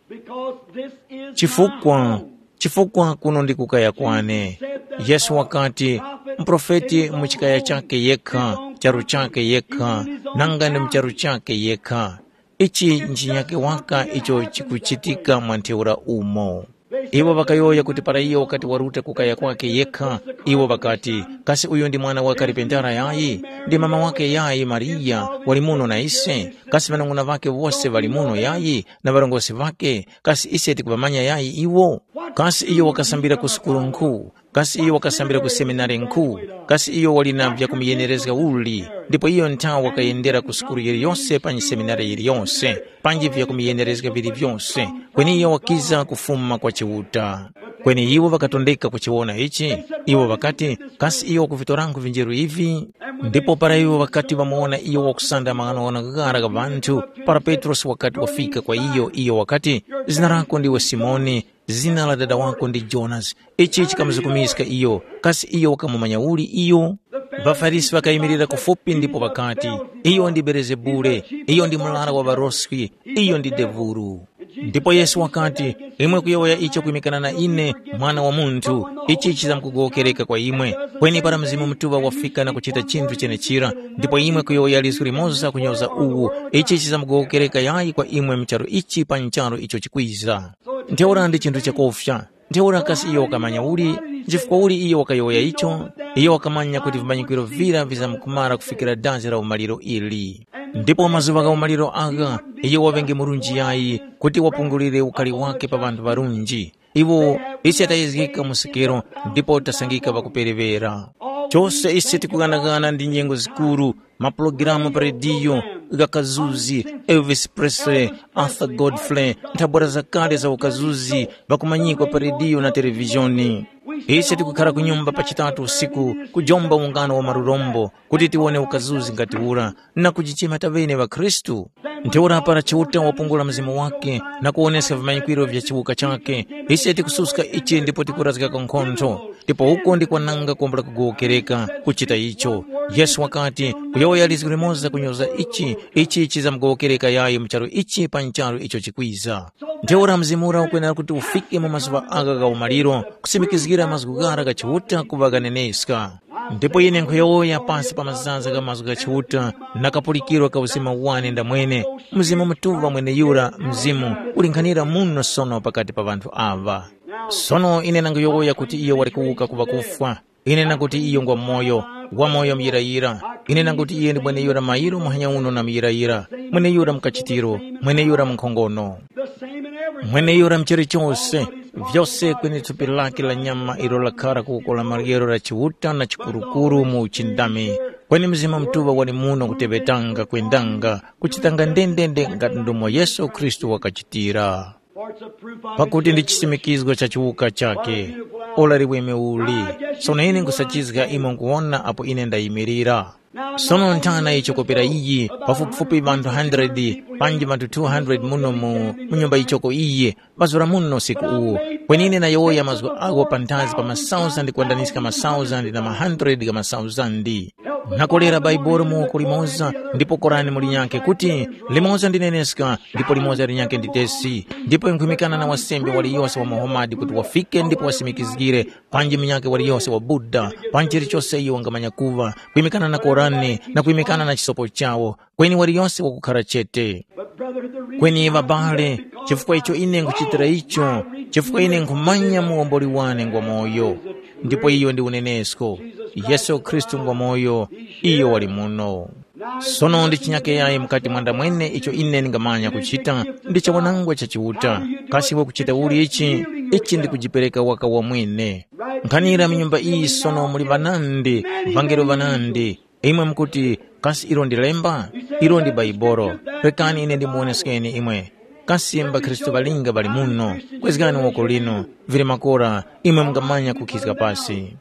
Because this is my Chifukwa, home. Chifukwa kuno ndi kukaya kwane. Yesu wakati, muprofeti mu chikaya chakhe yekha, charu chakhe yekha, nanga ndi mu charu chakhe yekha. Ichi nchinyake waka icho chikuchitika mwa ntheura umo. Iwo ŵakayowoya kuti para iyo wakati waruta kukaya kwakhe yekha, iwo ŵakati, kasi uyu ndi mwana wa kalipentara yayi? Ndi mama wakhe yayi Mariya wali muno na ise? Kasi ŵanung'una ŵakhe wose ŵali muno yayi? Na ŵarongozgi ŵakhe, kasi ise tikuŵamanya yayi iwo? Kasi iyo wakasambira ku sukulu nkhu? Kasi iyo wakasambira ku seminari nkhu? Kasi iyo wali na vyakumuyenerezga uli? Ndipo iyo nthawe wakayendera ku sukulu yiliyose panji seminari yiliyose, panji vyakumuyenerezga vili vyose, kweni iyo wakiza kufuma kwa Chiuta. Kweni iwo ŵakatondeka kuchiwona ichi, iwo ŵakati, kasi iyo wakuvitorankhu vinjeru ivi? Ndipo para iwo ŵakati ŵamuwona iyo wakusanda maghanoghano ghara gha ŵanthu, para Petrosi wakati wafika kwa iyo, iyo wakati, zina lako ndiwe Simoni, zina la dada wako ndi Jonasi. Ichi chikamuzukumiska iyo, kasi iyo wakamumanya uli iyo? །ܦarisi ŵakayimirira kufupi ndipo ŵakati, iyo ndi Belezebule, iyo ndi murara wa ŵaroswi, iyo ndi devulu. Ndipo Yesu wakati, imwe kuyowoya icho kwimikana na ine, Mwana wa Munthu, ichi chizamkugowokereka kwa imwe. Kweni para Mzimu Mutuŵa wafika na kuchita chinthu chenechira, ndipo imwe kuyowoya lizgu limoza kunyoza uwu, ichi chizamkugowokereka yayi kwa imwe mu charu ichi pa ncharu icho chikwiza. Ntheura ndi chinthu chakufya. Ntheura kasi iyo wakamanya uli? Nchifukwa uli iyo wakayowoya icho? Iyo wakamanya kuti vimanyikiro vira vizamkumara kufikira dazi la umaliro ili. Ndipo mazuŵa gha umaliro agha, iyo waŵenge murunji yayi, kuti wapungulire ukali wake pa ŵanthu ŵarunji. Iwo, ise tayezgeka mu sikero, ndipo tasangika ŵakuperewera. Chose ise tikughanaghana ndi nyengo zikuru, mapulogalamu pa rediyo, gha kazuzi, Elvis Presley, Arthur Godfrey, nthabwara zakale za ukazuzi, ŵakumanyikwa pa rediyo na televizhoni. Ise tikukhara ku nyumba pa chitatu usiku, kujomba ungano wa marurombo, kuti tiwone ukazuzi ngati ura, na kujichema taŵene ŵakhristu. Ntheura para Chiuta wapungula mzimu wake na kuwoneska vimanyikwiro vya chiwuka chakhe, ise tikususka ichi ndipo tikurazgako nkhontho. Ndipo uko ndi kwananga kuwombola kugowokereka kuchita icho. Yesu wakati, kuyowoya lizgu limoza kunyoza ichi, ichi chizamugowokereka yayi mu charu ichi pa ncharu icho chikwiza. Ntheura mzimu ura ukwenera kuti ufike mu mazuŵa agha gha umaliro, kusimikizgira mazgu ghara gha Chiuta kuŵa ghaneneska. Ndipo ine nkhuyowoya pasi pa mazaza gha mazgu gha Chiuta, na kapulikiro ka uzima wane ndamwene, Mzimu Mutuŵa mweneyura Mzimu ulinkhanira muno sono pakati pa ŵanthu aŵa. Sono ine nanguyowoya kuti iyo wali kuwuka ku ŵakufwa. Ine nanguti iyo ngwa moyo, wamoyo muyirayira. Ine nanguti iye ndi mweneyura mairo muhanya uno na muyirayira, mweneyura mukachitiro, mweneyura munkhongono. Mweneyura mcheri chose, vyose kweni thupi lake la nyama ilo lakhara ku woko la maryero la Chiuta na chikurukuru mu uchindami, kweni Mzimu Mutuŵa wali muno kuteŵetanga kwendanga, kuchitanga ndendende ngati ndomo Yesu Khristu wakachitira. Pakuti ndi chisimikizgo cha chiwuka chake. Ora liweme uli. Sono ine nkhusachizga imo nkuwona apo ine ndayimirira. Sono nthana icho kopera iyi, pafupifupi ŵanthu hundred, panji ŵanthu two hundred muno mu, mu nyumba yichoko iyi, ŵazura muno usiku uwu. Kweni ine nayowoya mazgu agho panthazi pa masauzandi kwandaniska masauzandi na ma hundred gha masauzandi. Nakolera Baibuli mu woko limoza, ndipo Korani mu linyakhe kuti, limoza ndineneska, ndipo limoza linyakhe nditesi. Ndipo nkhwimikana na wasembe waliyose wa Muhamadi kuti wafike ndipo wasimikizgire, panji munyakhe waliyose wa Buddha, panji chilichose iyo wangamanya kuŵa, kwimikana na Korani na kwimikana na chisopo chawo, kweni waliyose wakukhara chete. Kweni ŵabale, chifukwa icho ine nkhuchitira icho, chifukwa ine nkhumanya muwomboli wane ngwa moyo, ndipo iyo ndi unenesko. Yesu Khristu ngwa moyo, iyo wali muno. Sono ndi chinyake yayi mukati mwandamwene icho ine ndingamanya kuchita, ndi chawanangwa cha Chiuta. Kasi wakuchita uli ichi? Ichi ndi kujipereka waka wamwene. Nkhanira mu nyumba iyi sono muli ŵanandi, vangelo ŵanandi. Imwe mukuti, kasi ilo ndi lemba? Ilo ndi Baibolo. Rekani ine ndimuwoneskeni imwe. Kasi mbakhristu ŵalinga ŵali muno? Kwezgani woko linu, vili makora, imwe mungamanya kukhizga pasi.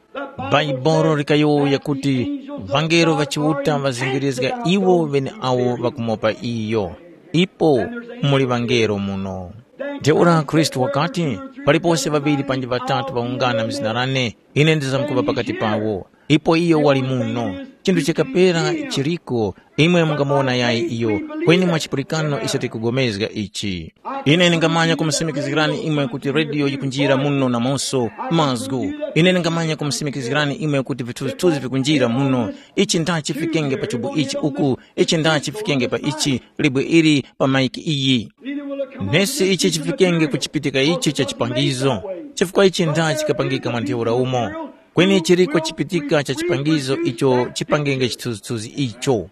Baibolo likayowoya kuti, vangelo ŵa Chiuta ŵazingirizga iwo ŵeneawo ŵakumopa iyo. Ipo muli vangelo muno. Ntheura Khristu wakati, palipose ŵaŵiri panji ŵatatu ŵawungana mu zina lane, ine ndizamkuŵa pakati pawo. Ipo iyo wali muno. Chinthu chikapera chiriko, imwe mungamuwona yayi iyo, kweni mwa chipulikano ise tikupulikana ichi. Ine ningamanya kumusimikizgirani imwe kuti rediyo yikunjira muno namonso mazgu. Ine ningamanya kumusimikizgirani imwe kuti vithuzithuzi vikunjira muno. Ichi ndha chifikenge pa chubu ichi uku, ichi ndha chifikenge pa ichi, libwe ili pa maiki iyi. Nesi ichi chifikenge ku chipitika ichi cha chipangizo, chifukwa ichi ndha chikapangika mwa ntheura umo. Kweni chiriko chipitika cha chipangizo icho chipangenge chithunzithunzi icho.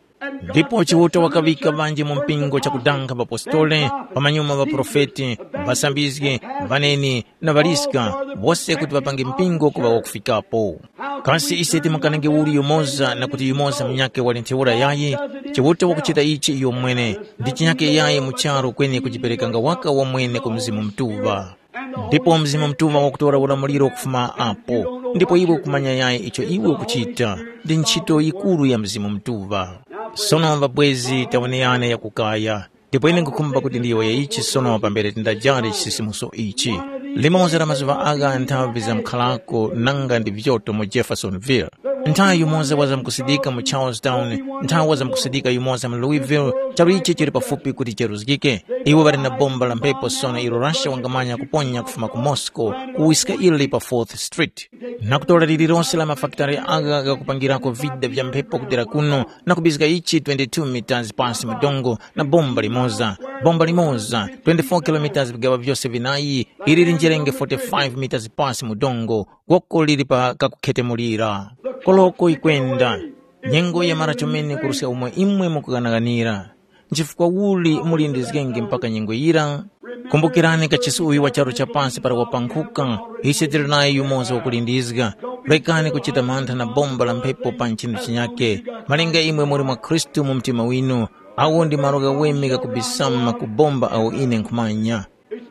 Ndipo Chiuta wakaŵika ŵanji mu mpingo chakudanga ŵapostoli, pamanyuma ŵaprofeti, ŵasambizgi, ŵaneni na ŵaliska, wose kuti ŵapange mpingo kuŵa wakufikapo. Kasi ise timukanenge uli yumoza na kuti yumoza munyakhe wali ntheura yayi? Chiuta wakuchita ichi iyo mwene, ndi chinyakhe yayi mu charu kweni kujiperekanga waka wamwene ku Mzimu Mutuŵa. Ndipo Mzimu Mutuŵa wakutora ulamuliro kufuma apo, ndipo iwe ukumanya yayi icho iwe ukuchita, ndi ntchito yikuru ya Mzimu Mutuŵa. Sono ŵabwezi taweneyane yakukaya, ndipo ine nkhukhumba kuti ndiyowoye ichi sono pambere tindajali chisisimuso ichi. Limodzi la mazuŵa agha nthavi zamkhalako nanga ndi vyoto mu Jeffersonville. Nthawi yumoza wazamkusidika mu Charlestown, nthawi wazamkusidika yumoza mu Louisville, charu ichi chili pafupi kuti cheruzgike. Iwo ŵali na bomba la mphepo sono ilo Russia wangamanya kuponya kufuma ku Moscow kuwiska ili pa Fourth Street. Na kutora lililonse la mafakitare agha ghakupangirako vida vya mphepo kudera kuno na kubizga ichi twenty-two meters pasi mu dongo na bomba limoza, bomba limoza, twenty-four kilometers vigaŵa vyose vinayi, ili linjerenge forty-five meters pasi mu dongo, goko lili pa kakukhetemulira. Koloko yikwenda. Nyengo yamara chomene kuruska umo imwe mukughanaghanira. Nchifukwa uli mulindizgenge mpaka nyengo yira? Kumbukirani kachisi uyu wa charu cha pasi para wapankhuka, ise tili nayo yumoza wakulindizga. Rekani kuchita mantha na bomba la mphepo pa nchinu chinyake. Malinga imwe muli mwa Khristu mu mtima winu, awo ndi malo ghaweme ghakubisama ku bomba awo ine nkhumanya.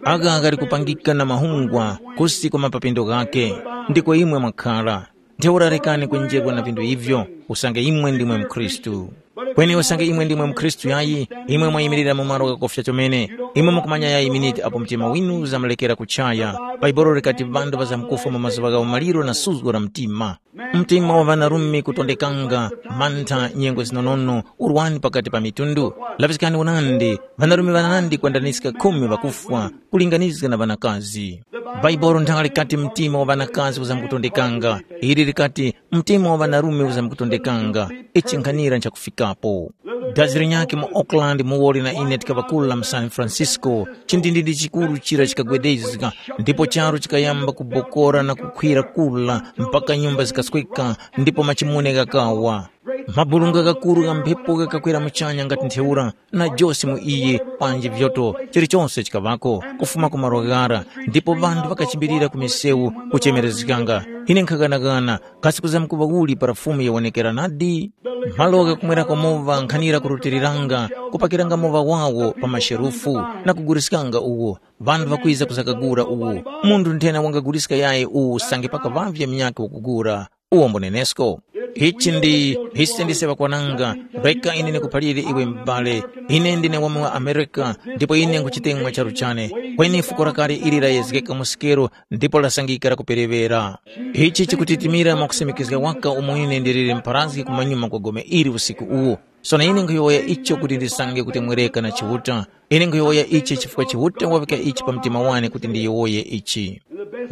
Agha ghali kupangika na mahungwa kusi kwa mapapindo ghakhe, ndiko imwe mwakhara. Ntheura rekani kwenjerwa na vinthu ivyo, usange imwe ndimwe mkhristu. Kweni usange imwe ndimwe mukhristu yayi, imwe mwayimirira mu malo ghakofya chomene. Imwe mukumanya yayi miniti apo mtima winu uzamulekera kuchaya. Bhaibuli likati ŵanthu ŵazamkufwa mu mazuŵa ghawo maliro na suzgo la mtima. Mtima wa ŵanarume kutondekanga, mantha, nyengo zinonono, urwani pakati pa mitundu. Laŵiskani unandi, ŵanarume ŵanandi kwendaniska khumi ŵakufwa, kulinganizga na ŵanakazi. Bhaibuli nthanga likati mtima wa ŵanakazi uzamkutondekanga. Ili likati mtima wa ŵanarume uzamkutondekanga. Ichi nkhanira nchakufikapo. Dazi linyakhe mu Oakland muwoli na ine tikaŵa kula mu San Francisco, chindindindi chikuru chira chikagwedezga, ndipo charu chikayamba kubokora na kukhwira kula mpaka nyumba zikasweka ndipo machimune ghakawa. Mabulunga ghakuru gha mphepo ghakakwera muchanya ngati ntheura, na jose mu iye panji vyoto, chilichonse chikaŵako, kufuma ku malo ghara, ndipo ŵanthu ŵakachimbilira ku misewu kuchemerezganga. Ine nkhaghanagana, kasi kuzamkuŵa uli para Fumu yawonekera nadi? Malo ghakumwerako moŵa nkhanira kurutiliranga, kupakiranga moŵa wawo pa masherufu, na kuguriskanga uwo. Ŵanthu ŵakwiza kuzakagura uwo. Munthu nthena wangaguliska yayi uwu usange pakaŵavye munyakhe wakugura. Uwo mbunenesko. Ichi ndi, ise ndise ŵakwananga, reka ine ndikuphalire iwe m'bale. Ine ndine wa mu Amerika, ndipo ine nkuchitemwa charu chane. Kweni fuko lakale ili layezgeka mu sikero, ndipo lasangika lakupereŵera. Ichi chikutitimira mwakusimikizga waka umo ine ndiliri mpharazgi kumanyuma kwa gome ili usiku uwu. Sono ine nkhuyowoya icho kuti ndisange kutemwereka na Chiuta. Ine nkhuyowoya ichi chifukwa Chiuta waŵika ichi pa mtima wane kuti ndiyowoye ichi.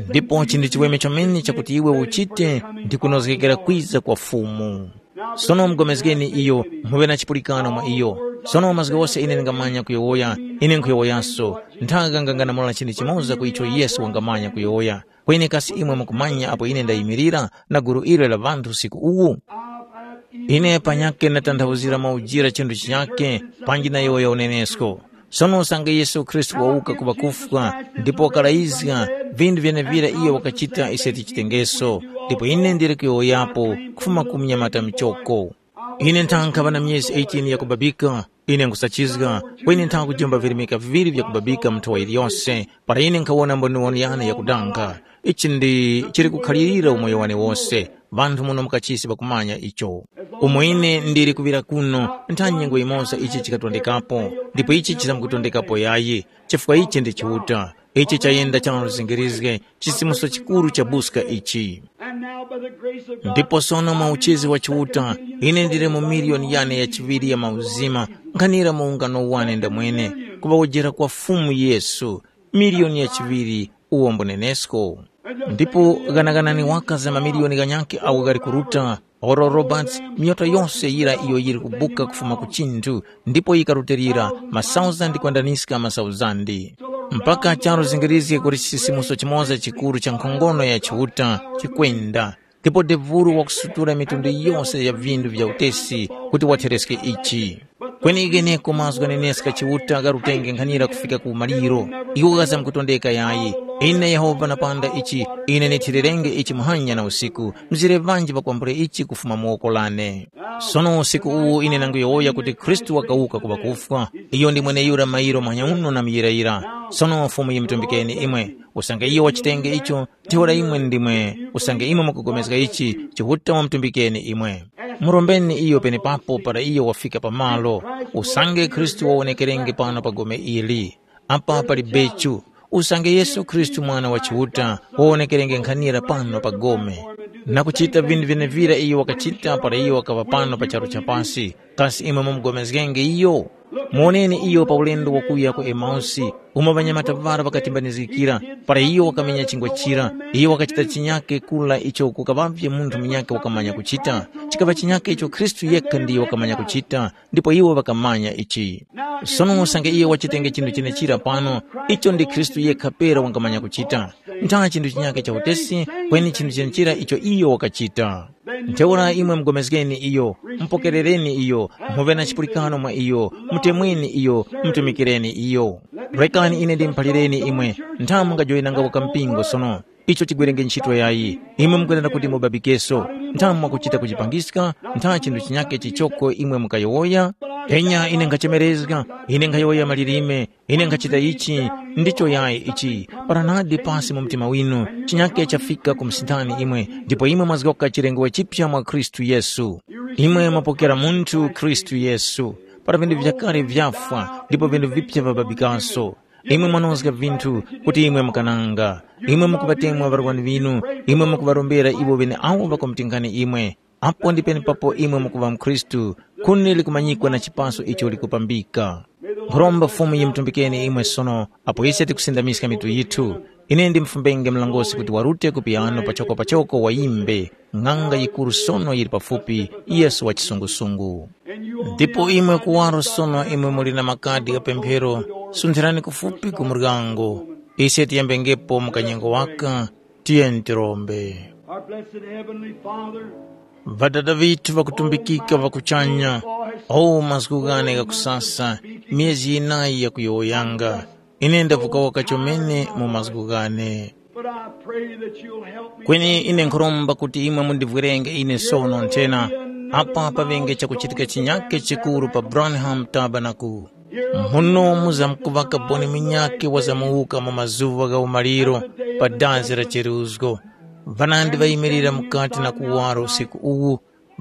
Ndipo chindi chiweme chomene chakuti iwe uchite ndi kunozgekera kwiza kwa Fumu. Sono mugomezgeni iyo, muŵe na chipulikano mwa iyo. Sono mazgu ghose ine ndingamanya kuyowoya, ine nkhuyowoyaso, nthaka nganganamola chinthu chimoza ku icho Yesu wangamanya kuyowoya. Kweni kasi imwe mukumanya apo ine ndayimirira na gulu ili la ŵanthu usiku uwu? Ine panyakhe ndatanthauzira mwaujira chinthu chinyakhe, panji nayowoya unenesko. Sono usange Yesu Khristu wawuka ku ŵakufwa ndipo wakalayizga vinthu vyenevira iyo wakachita ise tichitengeso, ndipo ine ndili kuyowoyapo kufuma ku munyamata muchoko. Ine nthankhaŵa na myezi eighteen yakubabika, ine nkusachizga, kweni nthakujomba virimika viŵiri vyakubabika mu nthowa yiliyose, para ine nkhawona mboniwoni yane yakudanga. Ichi ndi chili kukhalirira umoyo wane wose. Ŵanthu muno mu kachisi ŵakumanya icho. Umo ine ndili kuŵira kuno, ntha nyengo yimoza ichi chikatondekapo, ndipo ichi chizamkutondekapo yayi, chifukwa ichi ndi Chiuta. Ichi chayenda chanaluzingirizge chisimuso chikuru cha buska ichi. Ndipo sono mwa uchizi wa Chiuta, ine ndili mu miliyoni yane ya chiŵiri ya mauzima, nkhanira mu ungano wane ndamwene, kuŵawojera kwa Fumu Yesu, miliyoni ya chiŵiri uwo mbunenesko. Ndipo ghanaghanani waka za mamiliyoni ghanyakhe agho ghali kuruta, oro Roberts, miyoto yose yira iyo yiri kubuka kufuma ku chinthu, ndipo yikarutilira masauzandi kwendaniska masauzandi. Mpaka charu zingirizge kuti chisisimuso chimoza chikuru cha nkhongono ya Chiuta chikwenda, ndipo devuru wakusutura mitundu yose ya vindu vya utesi kuti wathereske ichi. Kweni gheneko mazgu ghaneneska Chiuta gharutenge nkhanira kufika ku maliro. Iwo ghazamkutondeka yayi. Ine Yehova napanda ichi, ine nithirerenge ichi muhanya na usiku, mzire ŵanji ŵakwambule ichi kufuma mu woko lane. Sono usiku uwu ine nanguyowoya kuti Khristu wakawuka ku ŵakufwa. Iyo ndi mweneyura mairo manyauno na muyirayira. Sono Fumu yimutumbikeni imwe. Usange iyo wachitenge icho, ntheura imwe ndimwe, usange imwe mukupulikana ichi, Chiuta wamutumbikeni imwe. Murombeni iyo penepapo para iyo wafika pamalo. Usange Khristu wawonekerenge pano pa gome ili. Apa pali bechu. Usange Yesu Khristu Mwana wa Chiuta, wawonekerenge nkhanira pano pa gome, na kuchita vinthu vyenevira iyo wakachita para iyo wakaŵa pano pa charu cha pasi. Kasi imwe mumupulikana iyo? Muwoneni iyo pa ulendo wakuya ku Emausi, umo ŵanyamata ŵara ŵakatimbanizgikira, para iyo wakamenya chingwa chira, iyo wakachita chinyake kula icho kukaŵavye munthu munyakhe wakamanya kuchita. Chikaŵa chinyake icho Khristu yekha ndiyo wakamanya kuchita, ndipo iwo ŵakamanya ichi. Sono usange iyo wachitenge chinthu chenechira pano, icho ndi Khristu yekha pera wangamanya kuchita. Ntha chinthu chinyakhe cha utesi, kweni chinthu chenechira icho iyo wakachita. Ntheura imwe mugomezgeni iyo, mupokerereni iyo, muŵe na chipulikano mwa iyo, mutemweni iyo, mutumikireni iyo. Rekani ine ndimuphalireni imwe, ntha mungajoyinanga waka mpingo sono. Icho chigwerenge ntchito yayi. Imwe mukwenera kuti mubabikeso. Ntha mwakuchita kuchipangiska, ntha chinthu chinyakhe chichoko imwe mukayowoya. Enya ine nkhachemerezga, ine nkhayowoya malilime, ine nkhachita ichi, ndicho yayi ichi. Para nadi pasi mu mtima winu, chinyakhe chafika ku msindani imwe, ndipo imwe mwazgoka chilengedwe chipya mwa Khristu Yesu. Imwe mwapokera munthu Khristu Yesu, para vinthu vyakale vyafwa ndipo vinthu vipya vababikaso. Imwe mwanozga vinthu kuti imwe mukananga. Imwe mukuŵatemwa ŵarwani ŵinu, imwe mukuŵarombera iwo ŵeneawo ŵakumutingani imwe. Apo ndi penepapo imwe mukuŵa mukhristu, khuni likumanyikwa na chipaso icho likupambika. Nkhuromba Fumu yimutumbikeni imwe sono apo ise tikusindamiska mitu yithu. Ine ndimfumbenge mlongosi kuti warute ku piyano pachoko pachoko wayimbe, ng'anga yikuru sono yili pafupi, Yesu wa chisungusungu. Ndipo imwe kuwaro sono imwe muli na makadi gha pemphero, sunthirani kufupi ku muryango. Ise tiyambengepo mu kanyengo waka, tiyeni tirombe. Our blessed Heavenly Father, Ŵadada vithu ŵakutumbikika ŵa kuchanya, o mazgu ghane ghakusasa, myezi yinayi yakuyowoyanga, ine ndavuka waka chomene mu mazgu ghane. But I pray that you'll help me. Kweni ine nkhuromba kuti imwe mundivwerenge ine sono nthena, apa paŵenge chakuchitika chinyake chikuru pa Branham Tabernacle. Muno muzamkuŵa kaboni munyakhe wazamuwuka mu mazuŵa gha umaliro pa dazi la cheruzgo. Ŵanandi ŵayimilira mukati na kuwaro usiku uwu,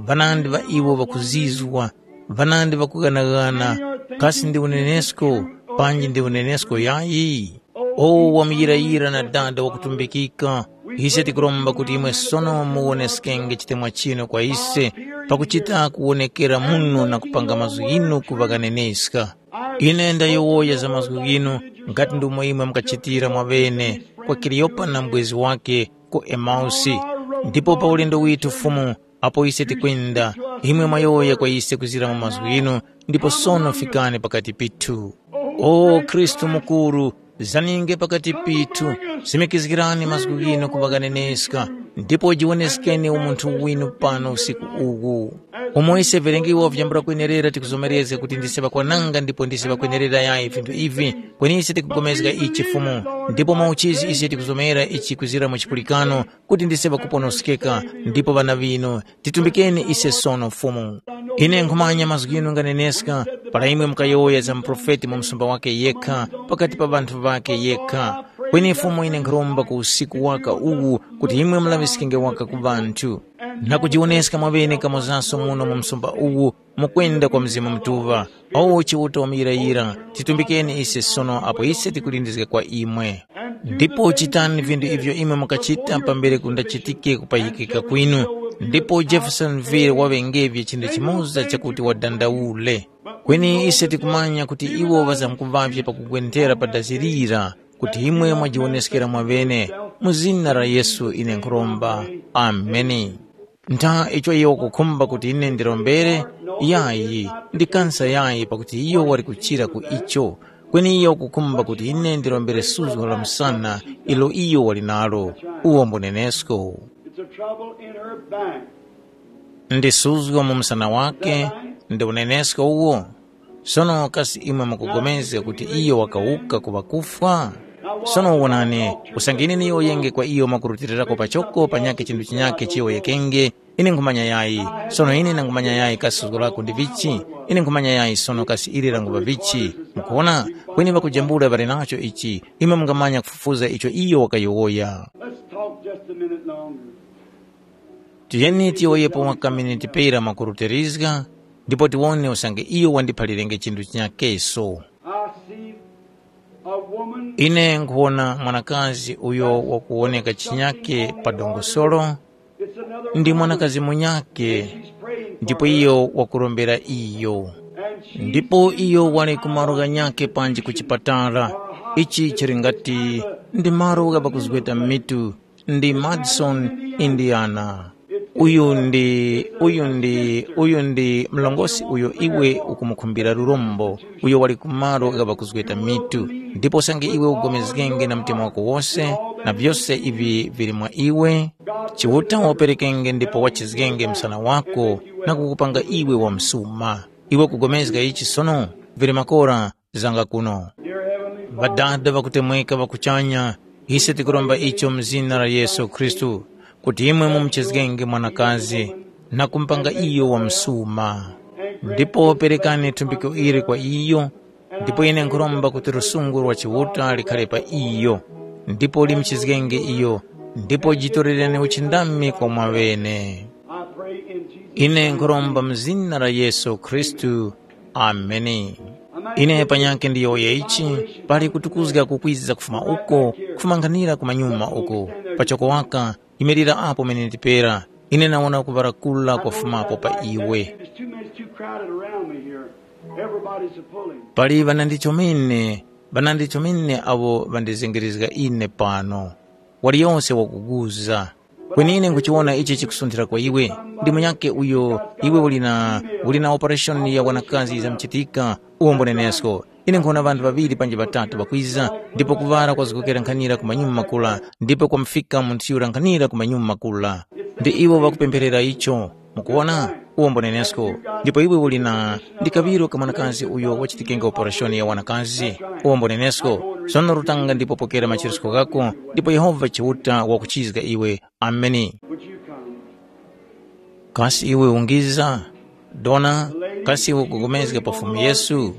ŵanandi ŵa iwo ŵakuzizwa, ŵanandi ŵakughanaghana, kasi ndi unenesko, panji ndi unenesko yayi? O wamuyirayira na Dada wakutumbikika, ise tikuromba kuti imwe sono muwoneskenge chitemwa chinu kwa ise, pakuchita kuwonekera muno na kupanga mazgu ghinu kuŵa ghaneneska. Ine ndayowoya za mazgu ghinu, nga ndi umo imwe mukachitira mwaŵene kwa Kaliyopa na mubwezi wakhe ku Emausi. Ndipo pa ulendo withu Fumu, apo ise tikwenda, imwe mwayowoya kwa ise kuzira mu mazgu ghinu, ndipo sono fikani pakati pithu. O Khristu mukuru, zaninge pakati pithu, simikizgirani mazgu ghinu kuŵa ghaneneska, ndipo jiwoneskeni umunthu winu pano usiku uwu. Umo ise verengiwa vyambula kwenerera tikuzomerezga kuti ndise ŵakwananga ndipo ndise ŵakwenerera yayi vinthu ivi, kweni ise tikugomezga ichi Fumu, ndipo mwauchizi ise tikuzomera ichi kuzira mu chipulikano kuti ndise ŵakuponoskeka ndipo ŵana ŵinu. Titumbikeni ise sono Fumu. Ine nkhumanya mazgu ghinu nganeneska para imwe mukayowoya za muprofeti mu msumba wake yekha pakati pa ŵanthu ŵake yekha. Kweni Fumu ine nkhuromba ku usiku waka uwu kuti imwe mulaŵiskenge waka ku ŵanthu. Na kujiwoneska mwaŵene kamozaso muno mu msumba uwu mukwenda kwa Mzimu Mutuŵa. O Chiuta wamuyirayira, titumbikeni ise sono apo ise tikulindizga kwa imwe. Ndipo chitani vinthu ivyo imwe mukachita pambere kundachitike kupayikika kwinu, ndipo Jeffersonville waŵengevye chinthu chimoza chakuti wadandaule. Kweni ise tikumanya kuti iwo ŵazamkuvavye pakugwenthera pa dazi lira, kuti imwe mwajiwoneskera mwaŵene. Mu zina la Yesu ine nkhuromba. Ameni. Ntha icho iwo wakukhumba kuti ine ndirombere, yayi, ndikansa yayi pakuti iyo wali kuchira ku icho, kweni iyo wakukhumba kuti ine ndirombere suzgo la msana ilo iyo wali nalo, uwo mbunenesko. It's a trouble in her back. Ndi suzgo mu msana wake, ndi unenesko uwo. Sono kasi imwe mukupulikana kuti iyo wakawuka ku ŵakufwa? Sono wonani, usange ine niyowoyenge kwa iyo mwakurutilirako pachoko panyakhe chinthu chinyakhe chiyowoyekenge, ine nkhumanya yayi. Sono ine nangumanya yayi kasi suzgo lako ndi vichi? Ine nkhumanya yayi sono kasi ili languŵa vichi? Mukuwona? Kweni ŵakujambula ŵali nacho ichi, imwe mungamanya kufufuza icho iyo wakayowoya. Let's talk just a minute longer. Tiyeni tiyowoyepo waka miniti pera mwakurutilizga, ndipo tiwone usange iyo wandiphalirenge chinthu chinyakeso. I see a woman. Ine nkhuwona mwanakazi uyo wakuwoneka chinyake pa dongosolo. It's another ndi woman. Mwanakazi munyake, she's praying for ndipo her. Iyo wakurombera iyo. And she's ndipo iyo wali ku malo ghanyake panji ku chipatala. Ichi chili ngati ndi malo ghapakuzgweta mitu. Ndi Madison, Indiana. Uyu ndi, uyu ndi, uyu ndi mlongosi uyo iwe ukumukhumbira lurombo, uyo wali ku malo gha pakuzgeta mitu. Ndipo usange iwe ugomezgenge na mtima wako wose, na vyose ivi vili mwa iwe, Chiuta waperekenge ndipo wachizgenge msana wako na kukupanga iwe wamsuma. Iwe kugomezga ichi sono, vili makora, zanga kuno. Ŵadada ŵakutemweka ŵa kuchanya, ise tikuromba icho mu zina la Yesu Khristu, kuti imwe mumuchizgenge mwanakazi na kumupanga iyo wamsuma. Ndipo perekani thumbiko ili kwa iyo, ndipo ine nkhuromba kuti lusungu lwa Chiuta likhale pa iyo, ndipo limuchizgenge iyo, ndipo jitorereni uchindami kwa mwaŵene. I pray in Jesus' Ine nkhuromba mu zina la Yesu Khristu. Ameni. Ine panyakhe ndiyowoye ichi, pali kutukuzga kukwiza kufuma uko, kufumanghanira kumanyuma uko, pachoko waka, yimirira apo mene ndipera. Ine nawona kuŵarakula kwafumapo pa iwe. There's too many, it's too crowded around me here. Everybody's a pulling. Pali ŵanandi chomene, ŵanandi chomene awo ŵandizengerezga ine pano. Waliyonse wakuguza. Kweni ine nkuchiwona ichi chikusunthira kwa iwe. Ndi munyakhe uyo iwe uli na uli na operation ya wanakazi yizamchitika, uwombo nenesko. Ine nkhona ŵanthu ŵaŵiri panji ŵatatu ŵakwiza, ndipo kuŵala kwazgokera nkhanira ku manyuma makula, ndipo kwamufika munthu yura nkhanira ku manyuma makula. Ndi iwo ŵakupempherera icho. Mukuwona? Uwombo nenesko. Ndipo iwe uli na ndi kaŵiro ka mwanakazi uyo wachitikenga operashoni ya wanakazi. Uwombo nenesko. Sono rutanga ndipo pokera machirisko ghako, ndipo Yehova Chiuta wakuchizga iwe. Ameni. Would you come? Kasi iwe ungiza? Dona, kasi iwe ukugomezga pa Fumu Yesu?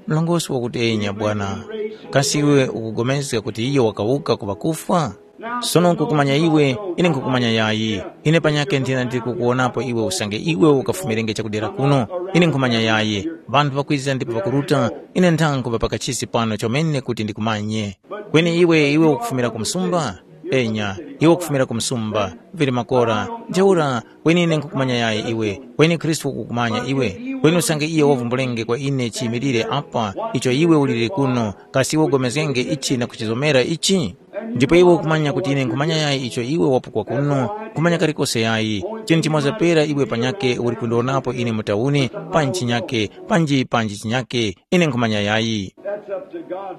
Mlongosi wakuti enya bwana. Kasi iwe ukugomezga kuti iyo wakawuka ku ŵakufwa? Sono nkukumanya iwe, ine nkukumanya yayi. Ine panyakhe nthina ndili kukuwonapo iwe usange iwe ukafumirenge chakudera kuno. Ine nkhumanya yayi. Ŵanthu ŵakwiza ndipo ŵakuruta, ine nthankhuŵa pakachisi pano chomene kuti ndikumanye. Kweni iwe, iwe ukufumira ku msumba? Enya, iwe ukufumira ku msumba, vili makora. Ntheura, kweni ine nkhukumanya yayi iwe, kweni Khristu wakukumanya iwe. Kweni usange iye wavumbulenge kwa ine chiyimilire apa icho iwe uliri kuno, kasi iwe ugomezgenge ichi na kuchizomera ichi? Ndipo iwe ukumanya kuti ine nkhumanya yayi icho iwe wapukwa kuno, nkhumanya kalikose yayi. Chinthu chimoza pera iwe panyake uli kundionapo ine mu tauni, panji chinyake, panji panji chinyake, ine nkhumanya yayi. That's up to God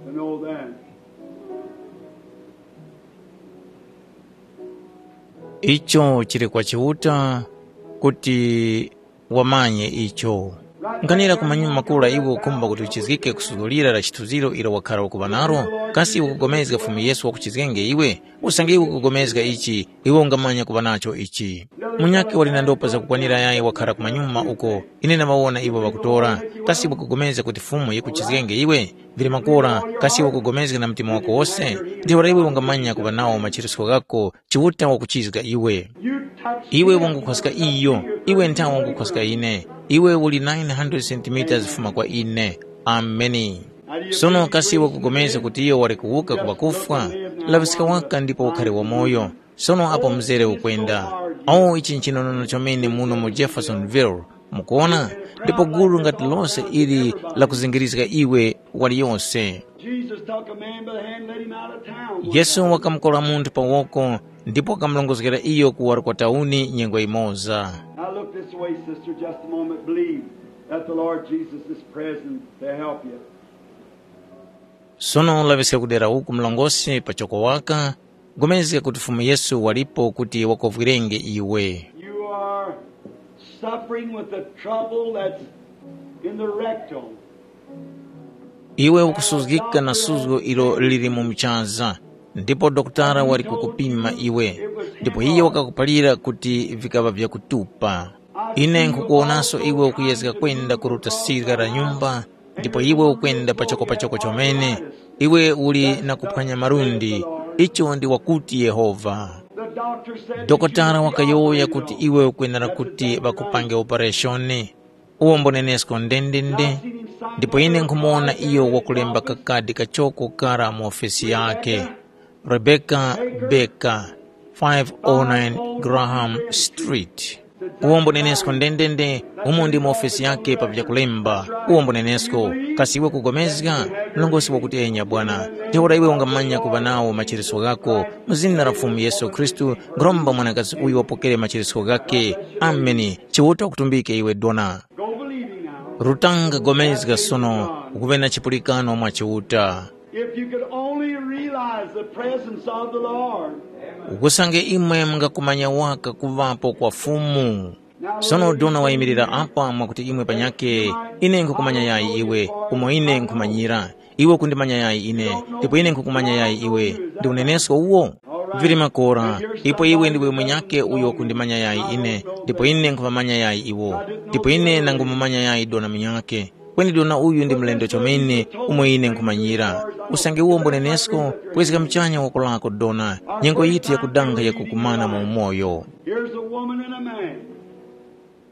to know that. Icho chili kwa Chiuta kuti wamanye icho. Nkhanira ku manyuma makula iwe ukhumba kuti uchizgike kusuzgulira la chithunziro ilo wakhara ukuŵa nalo, kasi iwe ukugomezga Fumu Yesu wakuchizgenge iwe? Usange iwe ukugomezga ichi, iwe ungamanya kuŵa nacho ichi. Munyakhe wali na ndopa zakukwanira yayi wakhara ku manyuma uko, ine namawona iwo ŵakutora. Kasi iwe ukugomezga kuti Fumu yikuchizgenge iwe? Vili makora, kasi iwe ukugomezga na mtima wako wose? Ntheura iwe ungamanya kuŵa nawo machirisko ghako, Chiuta wakuchizga iwe. Iwe wangukhoska iyo, iwe nthawe wangukhoska ine. Iwe uli nine hundred centimeters fuma kwa ine. Ameni. Sono kasi iwe ukugomezga kuti iyo wali kuwuka ku ŵakufwa? Laŵiska waka ndipo ukhare wamoyo. Sono apo mzere ukwenda. Awo ichi nchinonono chomene muno mu Jeffersonville. Mukuona? Ndipo gulu ngati lose ili lakuzingirizga iwe waliyose. Jesus took a man by the hand, led him out of town. Yesu wakamukora munthu pa woko ndipo wakamulongozgera iyo kuwaro kwa tauni nyengo yimoza. Now look this way, sister, just a moment. Believe that the Lord Jesus is present to help you. Sono laŵiska kudera uku mlongosi pachoko waka, gomezga kuti Fumu Yesu walipo kuti wakovwirenge iwe. You are suffering with a trouble that's in the rectum. Iwe ukusuzgika na suzgo ilo lili mu mchaza, ndipo dokotala wali kukupima iwe, ndipo iye wakakuphalira kuti vikaŵa vyakutupa. Ine nkhukuwonaso iwe ukuyezga kwenda ku lutasirika la nyumba, ndipo iwe ukwenda pachokopachoko chomene. Iwe uli na kuphwanya malundi, icho ndi wakuti Yehova. Dokotala wakayowoya kuti iwe ukwenera kuti ŵakupange opereshoni. Uwo mbonenesko ndendende, ndipo ine nkhumuwona iyo wakulemba kakadi kachoko kara mu ofesi yakhe. Rebecca Baker, five oh nine Graham Street. Uwo mbonenesko ndendende, umo ndi mu ofesi yakhe pa vyakulemba. Uwo mbonenesko, kasi iwe kugomezga? Mlongosi wakuti enya bwana. Ntheura iwe ungamanya kuŵa nawo machereso ghako. Mu zina la Fumu Yesu Khristu, nkhuromba mwanakazi uyu wapokere machereso ghakhe. Ameni. Chiuta ukutumbike iwe dona. Rutanga gomezga sono, ukuŵe na chipulikano mwa Chiuta. If you could only realize the presence of the Lord. Ukusange imwe mungakumanya waka kuŵapo kwa Fumu. Sono dona wayimirira apa mwakuti imwe panyakhe, ine nkukumanya yayi iwe, umo ine nkhumanyira. Iwe ukundimanya yayi ine, ndipo ine nkukumanya yayi iwe. Ndi unenesko uwo? Vili makora, ipo iwe ndiwe munyakhe uyo ukundimanya yayi ine, ndipo ine nkhumamanya yayi iwo. Ndipo ine nangumumanya yayi dona munyakhe. Kweni dona uyu ndi mlendo chomene umo ine nkhumanyira. Usange uwo mbunenesko, kwezga muchanya woko lako dona, nyengo yiti yakudanga yakukumana mu umoyo. Here's a woman and a man.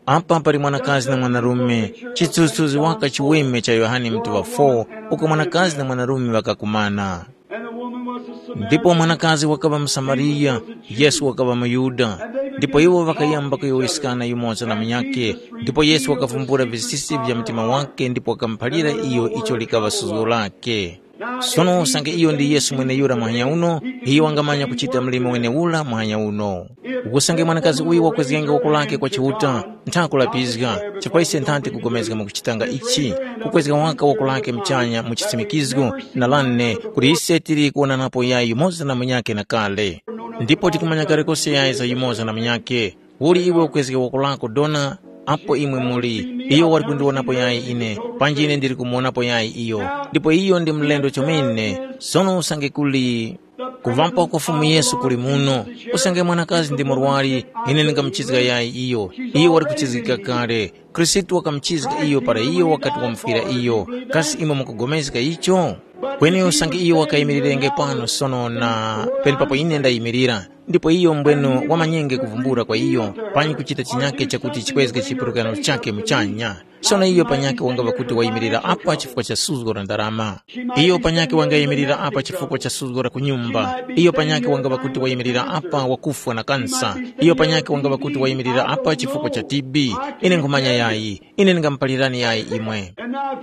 Apa pali mwanakazi na mwanarume, chithunzithunzi waka chiweme cha Yohane mutuŵa four, uko mwanakazi na mwanarume ŵakakumana. And the woman was a Samaritan. Ndipo mwanakazi wakaŵa Msamariya, Yesu wakaŵa muYuda. Ndipo iwo ŵakayamba kuyowoyeskana yumoza na munyakhe, ndipo Yesu wakavumbula visisi vya mtima wakhe ndipo wakamuphalira iyo icho likaŵa suzgo lakhe. Sono usange iyo ndi Yesu mweneyura muhanya uno, iyo wangamanya kuchita mlimo wenewura muhanya uno. Usange mwanakazi uyu wakwezgenge woko lake kwa Chiuta, ntha kulapizga, chifukwa ise ntha tikugomezga mukuchitanga ichi, kukwezga waka woko lake muchanya mu chisimikizgo na lane kuti ise tili kuwonanapo yayi yumoza na munyakhe na kale. Ndipo tikumanya kale kose yayi za yumoza na munyakhe. Uli iwe ukwezge woko lako dona, apo imwe muli, iyo wali kundiwonapo yayi ine, panji ine ndili kumuwonapo yayi iyo. Ndipo iyo ndi mlendo chomene, sono usange kuli kuvampa kwa Fumu Yesu kuli muno, usange mwanakazi ndi murwari, ine ndingamuchizga yayi iyo. Iyo wali kuchizgika kale. Khristu wakamuchizga iyo para iyo wakati wamufwira iyo. Kasi imwe mukugomezga icho? Kweni usange iyo wakayimirirenge pano sono na penepapo ine ndayimirira, ndipo iyo mbwenu wamanyenge kuvumbula kwa iyo, panyi kuchita chinyake chakuti chikwezge chipulikano chakhe muchanya. Sono iyo panyakhe wangaŵa kuti wayimirira apa chifukwa cha suzgo la ndarama. Iyo panyakhe wangayimirira apa chifukwa cha suzgo la kunyumba. Iyo panyakhe wangaŵa kuti wayimirira apa wakufwa na kansa. Iyo panyakhe wangaŵa kuti wayimirira apa chifukwa cha T B. Ine nkhumanya yayi. Ine ndingamupalirani yayi imwe.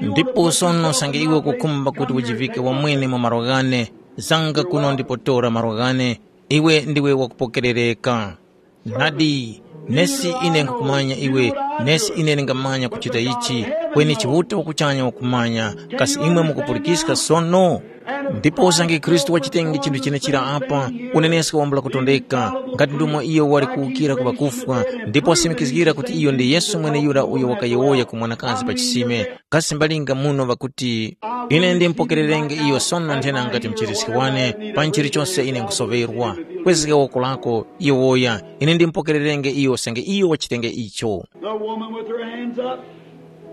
Ndipo sono usange iwe ukukhumba kuti ujivike wamwene mu malo ghane, zanga kuno ndipo tora malo ghane, iwe ndiwe wakupokerereka. Nadi, nesi ine nkhukumanya iwe, nesi ine ndingamanya kuchita ichi, kweni Chiuta wakuchanya wakumanya, kasi imwe mukupulikiska sono? Ndipo usange Khristu wachitenge chinthu chenechira apa, unenesko wambula kutondeka, ngati ndomwe iyo wali kuwukira ku ŵakufwa, ndipo wasimikizgira kuti iyo ndi Yesu mweneyura uyo wakayowoya ku mwanakazi pa chisime, kasi mbalinga muno ŵakuti, ine ndimpokererenge iyo sono nthena ngati mchiriski wane, pa chilichose ine nkusoŵerwa, kwezga woko lako, yowoya, ine ndimpokererenge iyo usange iyo wachitenge icho. The woman with her hands up,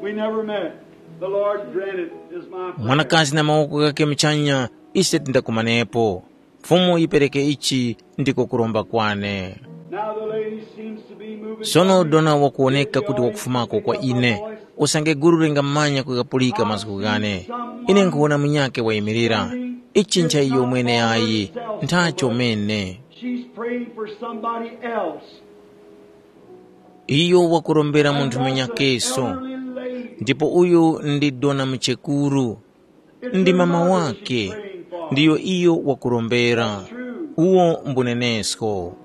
we never met. The Lord granted is my prayer. Mwanakazi na mawoko ghakhe muchanya, ise tindakumanepo. Fumu yipereke ichi ndiko kuromba kwane. Now the lady seems to be moving. Sono dona wakuwoneka kuti wakufumako kwa ine, usange gulu lingamanya kugapulika mazgu ghane. Ine nkhuwona munyakhe wayimirira. Ichi ncha iyo mwene ayi, nthacho mene. She's praying for somebody else. Iyo wakurombera munthu munyakeso. Ndipo uyu ndi dona muchekuru. Ndi mama wake, ndiyo iyo wakurombera. Uwo mbunenesko.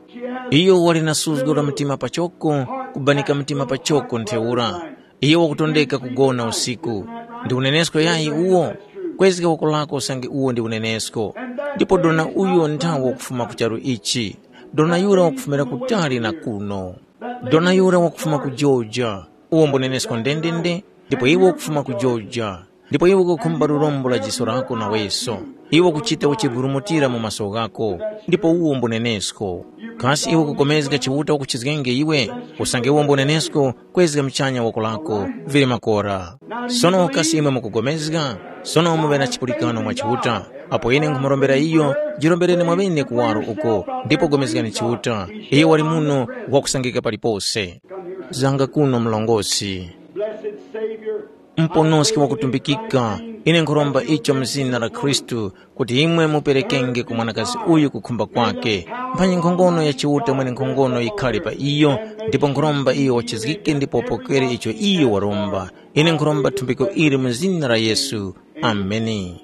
Iyo wali na suzgo la mtima pachoko, kubanika mtima pachoko ntheura. Iyo wakutondeka kugona usiku. Ndi unenesko yayi uwo? Kwezga woko lako usange uwo ndi unenesko. Ndipo dona uyo nthawe wakufuma ku charu ichi. Dona yura wakufumira kutali na kuno. Dona yura wakufuma ku Georgia. Uwo mbunenesko ndendende, ndipo iwe ukufuma ku Georgia. Ndipo iwe ukukhumba lurombo la jiso lako naweso. Iwe ukuchita uchiburumutira mu maso ghako, ndipo uwo mbunenesko. Kasi iwe ukupulikana Chiuta wakuchizgenge iwe? Usange uwo mbunenesko, kwezga muchanya woko lako, vili makora. Sono kasi imwe mukupulikana? Sono muŵe na chipulikano mwa Chiuta. Apo ine nkhumurombera iyo, jirombereni mwaŵene kuwaro uko, ndipo pulikani Chiuta. Iye wali muno, wakusangika palipose. Zanga kuno mlongosi. Blessed Savior, Mponoski wakutumbikika, ine nkhuromba icho mu zina la Khristu, kuti imwe muperekenge ku mwanakazi uyu kukhumba kwake. Mphanyi nkhongono ya Chiuta mwenenkhongono yikhale pa iyo, ndipo nkhuromba iyo wachizgike ndipo wapokere icho iyo waromba. Ine nkhuromba thumbiko ili mu zina la Yesu. Ameni.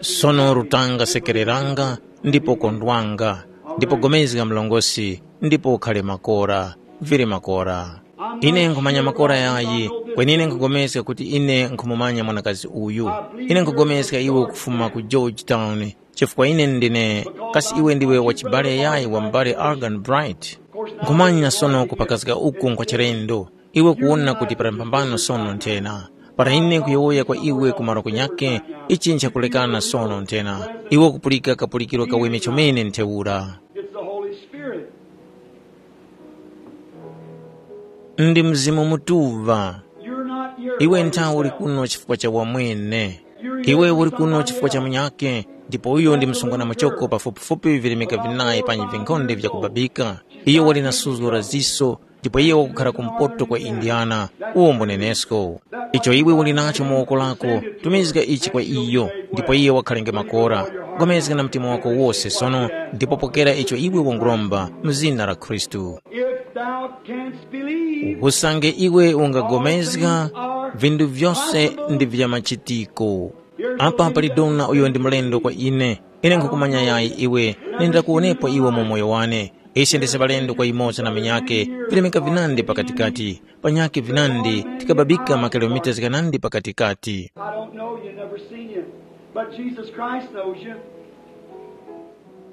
Sono rutanga sekereranga, ndipo kondwanga, ndipo pulikana mlongosi, ndipo ukhale makora, vili makora. Ine nkhumanya makora yayi, kweni ine nkhupulikana kuti ine nkhumumanya mwanakazi uyu. Ine nkhupulikana iwe ukufuma ku Georgetown, chifukwa ine ndine, kasi iwe ndiwe wachibale yayi wa m'bale Algan Bright? Nkhumanya sono kupakazika uku nkhwa chilendo. Iwe kuwona kuti pali mphambano sono nthena. Para ine nkuyowoya kwa iwe ku malo kunyakhe, ichi nchakulekana sono nthena. Iwe ukupulika kapulikiro kaweme chomene ntheura. It's the Holy Spirit. Ndi Mzimu Mutuŵa. You're not here. Iwe nthawe uli kuno chifukwa cha wamwene. Iwe uli kuno chifukwa cha munyakhe, ndipo uyo ndi msungwana muchoko pafupifupi vilemeka vinayi panyi vinkhonde vyakubabika. Iyo wali na suzgo la ziso, ndipo iye wakukhara kumpoto kwa Indiana, uwo mbunenesko. Icho iwe uli nacho mu woko lako, tumizga ichi kwa iyo, ndipo iye wakhalenge makora. Pulikana na mtima wako wose sono, ndipo pokera icho iwe wanguromba mu zina la Khristu. If thou canst believe, usange iwe ungagomezga, vinthu vyose ndi vya machitiko. Apa pali dona uyo ndi mlendo kwa ine. Ine nkhukumanya yayi iwe, nindira kuwonepo iwe mu moyo wane. Ise ndise ŵalendo kwa yumoza na munyakhe, vilemeka vinandi pakatikati, panyakhe vinandi tikababika makilomita ghanandi pakatikati. I don't know you, never seen you, but Jesus Christ knows you.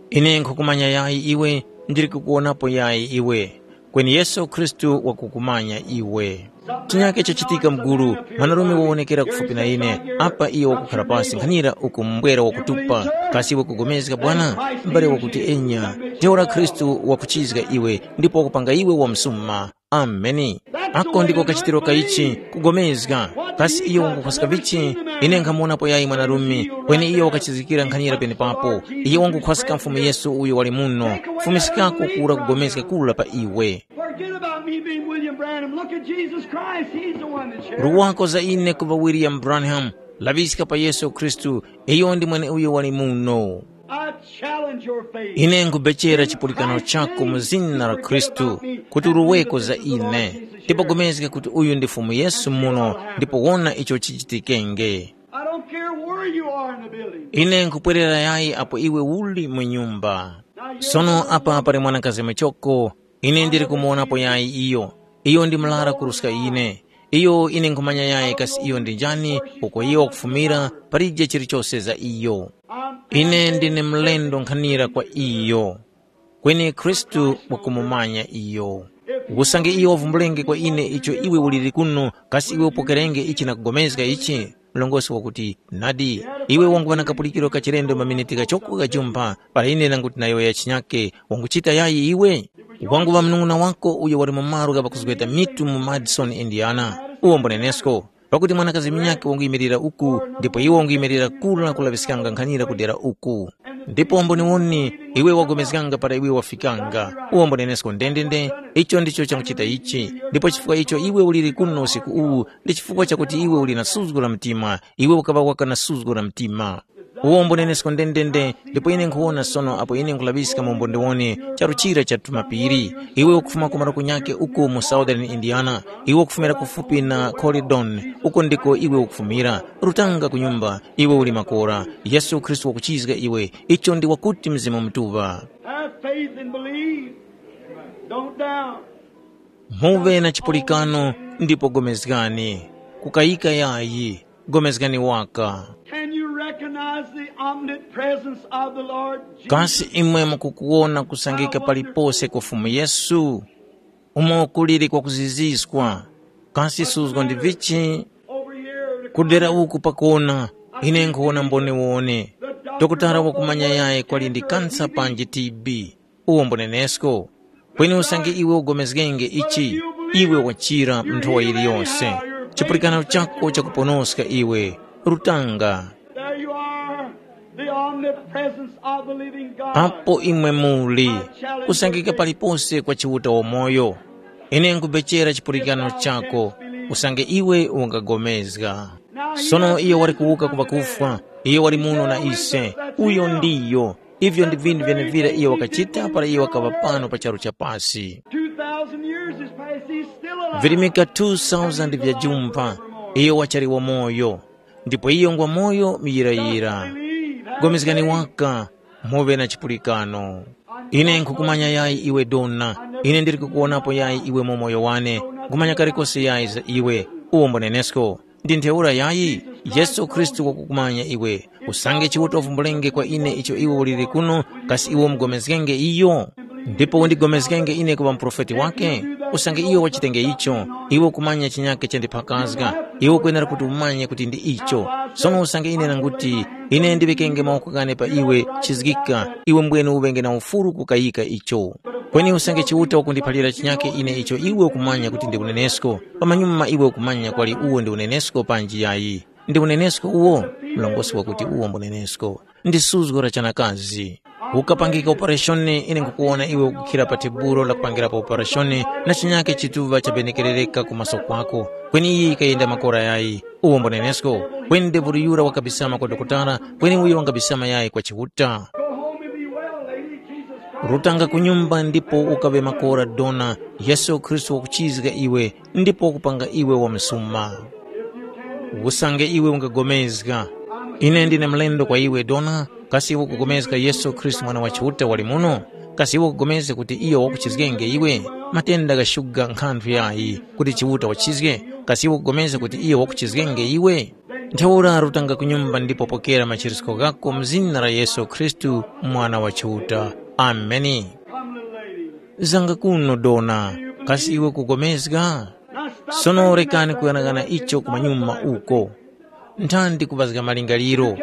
Ine nkhukumanya yayi iwe, ndili kukuwonapo yayi iwe, kweni Yesu Khristu wakukumanya iwe. Chinyake chachitika mgulu, mwanarume wawonekera kufupi na ine, apa iyo wakukhara pasi nkhanira uku mbwera wakutupa. Kasi iwe kugomezga Bwana? M'bale wakuti enya. Ntheura Khristu wakuchizga iwe ndipo wakupanga iwe wamsuma. Ameni. Ako ndiko kachitiro ka ichi, kugomezga. Kasi iyo wangukhwaska vichi? Ine nkhamuwonapo yayi mwanarume, kweni iyo wakachizgikira nkhanira penepapo. Iyo wangukhwaska Mfumu Yesu uyo wali muno. Fumiskako kura kugomezga kura pa iwe. Forget about me being William Branham. Look at Jesus Christ. He's the one that shares. Ruwako za ine kuva William Branham, laŵiska pa Yesu Khristu, iyo ndi mweneuyo wali muno. I challenge your faith. Ine nkubechera chipulikano chako mu zina la Khristu, kuti uruweko za ine, ndipo gomezga kuti uyu ndi Fumu Yesu muno, ndipo wona icho chichitikenge. I don't care where you are in the building. Ine nkupwerera yayi apo iwe uli mu nyumba. Sono apa pali mwanakazi muchoko, ine ndili kumuwonapo yayi iyo. Iyo ndi mlara kuruska ine. Iyo ine nkhumanya yayi kasi iyo ndi njani, uko iyo wakufumira, palije chilichose za iyo. Ine ndine mlendo nkhanira kwa iyo. Kweni Khristu wakumumanya iyo. Usange iyo wavumbulenge kwa ine icho iwe uliri kuno, kasi iwe upokerenge ichi na kugomezga ichi? Mlongosi wakuti, nadi, iwe wanguŵa na kapulikiro ka chilendo maminiti ghachoko ghajumpha, para ine nanguti nayowoya chinyake, wanguchita yayi iwe? Wanguŵa munung'una wako uyo wali mu malo gha ŵakuzgeta mitu mu Madison, Indiana. Uwo mbunenesko. Pakuti mwanakazi munyakhe wanguyimirira uku, ndipo iwe wanguyimirira kura kulaŵiskanga nkhanira ku dera uku. Ndipo mboniwoni, iwe wagomezganga para iwe wafikanga. Uwo mbunenesko ndendende, icho ndicho changuchita ichi. Ndipo chifukwa icho iwe uliri kuno usiku uwu, ndi chifukwa chakuti iwe uli na suzgo la mtima, iwe ukaŵa waka na suzgo la mtima. Uwo mbunenesko ndendende, ndipo ine nkhuwona sono apo ine nkhulaŵiska mu mbonde wone charu chira cha tumapiri. Iwe ukufuma ku malo kunyakhe uko mu Southern Indiana, iwe ukufumira kufupi na Corydon, uko ndiko iwe ukufumira. Rutanga ku nyumba, iwe uli makora. Yesu Khristu wakuchizga iwe, icho ndi wakuti Mzimu Mutuŵa. Have faith and believe. Don't doubt. Muve na chipulikano ndipo gomezgani. Kukayika yayi, gomezgani waka. Can you recognize the omnipresence of the Lord Jesus? Kasi imwe mukukuwona kusangika palipose kwa Fumu Yesu? Umo kuliri kwakuziziswa. Kasi suzgo ndi vichi? Over here to kudera uku pakona, ine nkhuwona mboniwone. Dokotala wakumanya yayi kwali ndi kansa panji T B. Uwo mbunenesko. Kweni usange iwe ugomezgenge ichi, iwe wachira mu nthowa yiliyose. Chipulikano chako chakuponoska iwe. Rutanga. There you are, the omnipresence of the living God. Apo imwe muli, kusangika palipose kwa Chiuta wamoyo. Ine nkubechera chipulikano chako, usange iwe ungagomezga. Sono iyo wali kuwuka ku ŵakufwa, iyo wali muno na ise. Uyo ndiyo. Ivyo ndi vinthu vyenevira iyo wakachita para iyo wakaŵa pano pa charu cha pasi. Two thousand years has passed, he's still alive. Virimika two thousand vya jumpa, iyo wachali wamoyo, ndipo iyo ngwa moyo muyirayira. Gomezgani waka, muŵe na chipulikano. Ine nkhukumanya yayi iwe dona, ine ndili kukuwonapo yayi iwe mu moyo wane, nkhumanya kalikose yayi za iwe, uwo mbunenesko. Ndi ntheura yayi, Yesu Khristu wakukumanya iwe. Usange Chiuta wavumbulenge kwa ine icho iwe uliri kuno, kasi iwe umugomezgenge iyo? Ndipo undigomezgenge ine kuŵa muprofeti wake? Usange iyo wachitenge icho, iwe ukumanya chinyake chandiphakazga, iwe ukwenera kuti umanye kuti ndi icho. Sono usange ine nanguti, ine ndiŵikenge mawoko ghane pa iwe, chizgika, iwe mbwene uŵenge na ufuru kukayika icho. Kweni usange Chiuta wakundiphalira chinyake ine icho iwe ukumanya kuti ndi unenesko, pamanyuma iwe ukumanya kwali uwo ndi unenesko panji yayi. Ndi unenesko uwo? Mlongosi wakuti uwo mbunenesko. Ndi suzgo la chanakazi. Ukapangika opereshoni, ine nkhukuwona iwe ukukhira pa tebulo lakupangirapo opereshoni na chinyake chituŵa chabenekerereka ku maso kwako. Kweni iyi yikayenda makora yayi. Uwo mbunenesko. Kweni ndevuli yura wakabisama kwa dokotala, kweni uyo wangabisama yayi kwa Chiuta. Rutanga ku nyumba ndipo ukaŵe makora dona, Yesu Khristu wakuchizga iwe ndipo wakupanga iwe wamsuma. Usange iwe ungagomezga, ine ndine mlendo kwa iwe dona, kasi iwe ukugomezga Yesu Khristu Mwana wa Chiuta wali muno? Kasi iwe ukugomezga kuti iyo wakuchizgenge iwe? Matenda ghashuga nkhanthu yayi kuti Chiuta wachizge? Kasi iwe ukugomezga kuti iyo wakuchizgenge iwe? Ntheura rutanga ku nyumba ndipo pokera machirisko ghako mu zina la Yesu Khristu, Mwana wa Chiuta. Ameni. Zanga kuno dona, kasi iwe kugomezga? Sono rekani kuyang'ana icho kumanyuma uko. Nthandi kuŵazga malingaliro.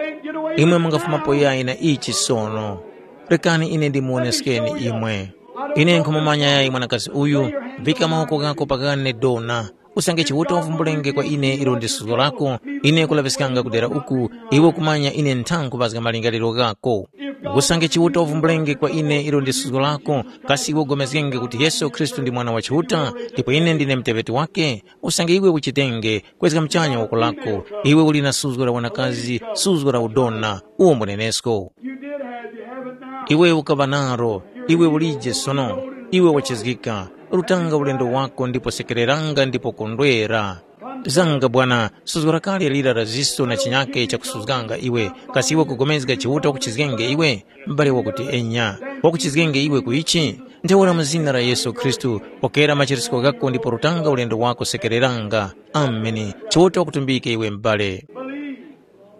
Imwe mungafumapo yayi na ichi sono. Rekani ine ndimuwoneskeni imwe. Ine nkhumumanya yayi mwanakazi uyu, vika mawoko ghako pakane dona. Usange Chiuta wavumbulenge kwa ine ilo ndi suzgo lako, ine kulaŵiskanga kudera uku, iwe kumanya ine nthankhuŵazga malingaliro ghako. Usange Chiuta wavumbulenge kwa ine ilo ndi suzgo lako, kasi iwe ugomezgenge kuti Yesu Khristu ndi Mwana wa Chiuta, ndipo ine ndine muteŵeti wake? Usange iwe uchitenge, kwezga muchanya woko lako, iwe uli na suzgo la wanakazi, suzgo la udona, uwo mbunenesko. You did have, you have it now. Iwe ukaŵa naro, iwe ulije sono, iwe wachizgika, rutanga ulendo wako ndipo sekereranga ndipo kondwera. Zanga bwana, suzgo lakale lira la ziso na chinyake chakusuzganga iwe, kasi iwe kugomezga Chiuta wakuchizgenge iwe? M'bale wakuti enya, wakuchizgenge iwe ku ichi? Ntheura mu zina la Yesu Khristu, pokera machirisko ghako ndipo rutanga ulendo wako sekereranga. Ameni. Chiuta wakutumbike iwe m'bale.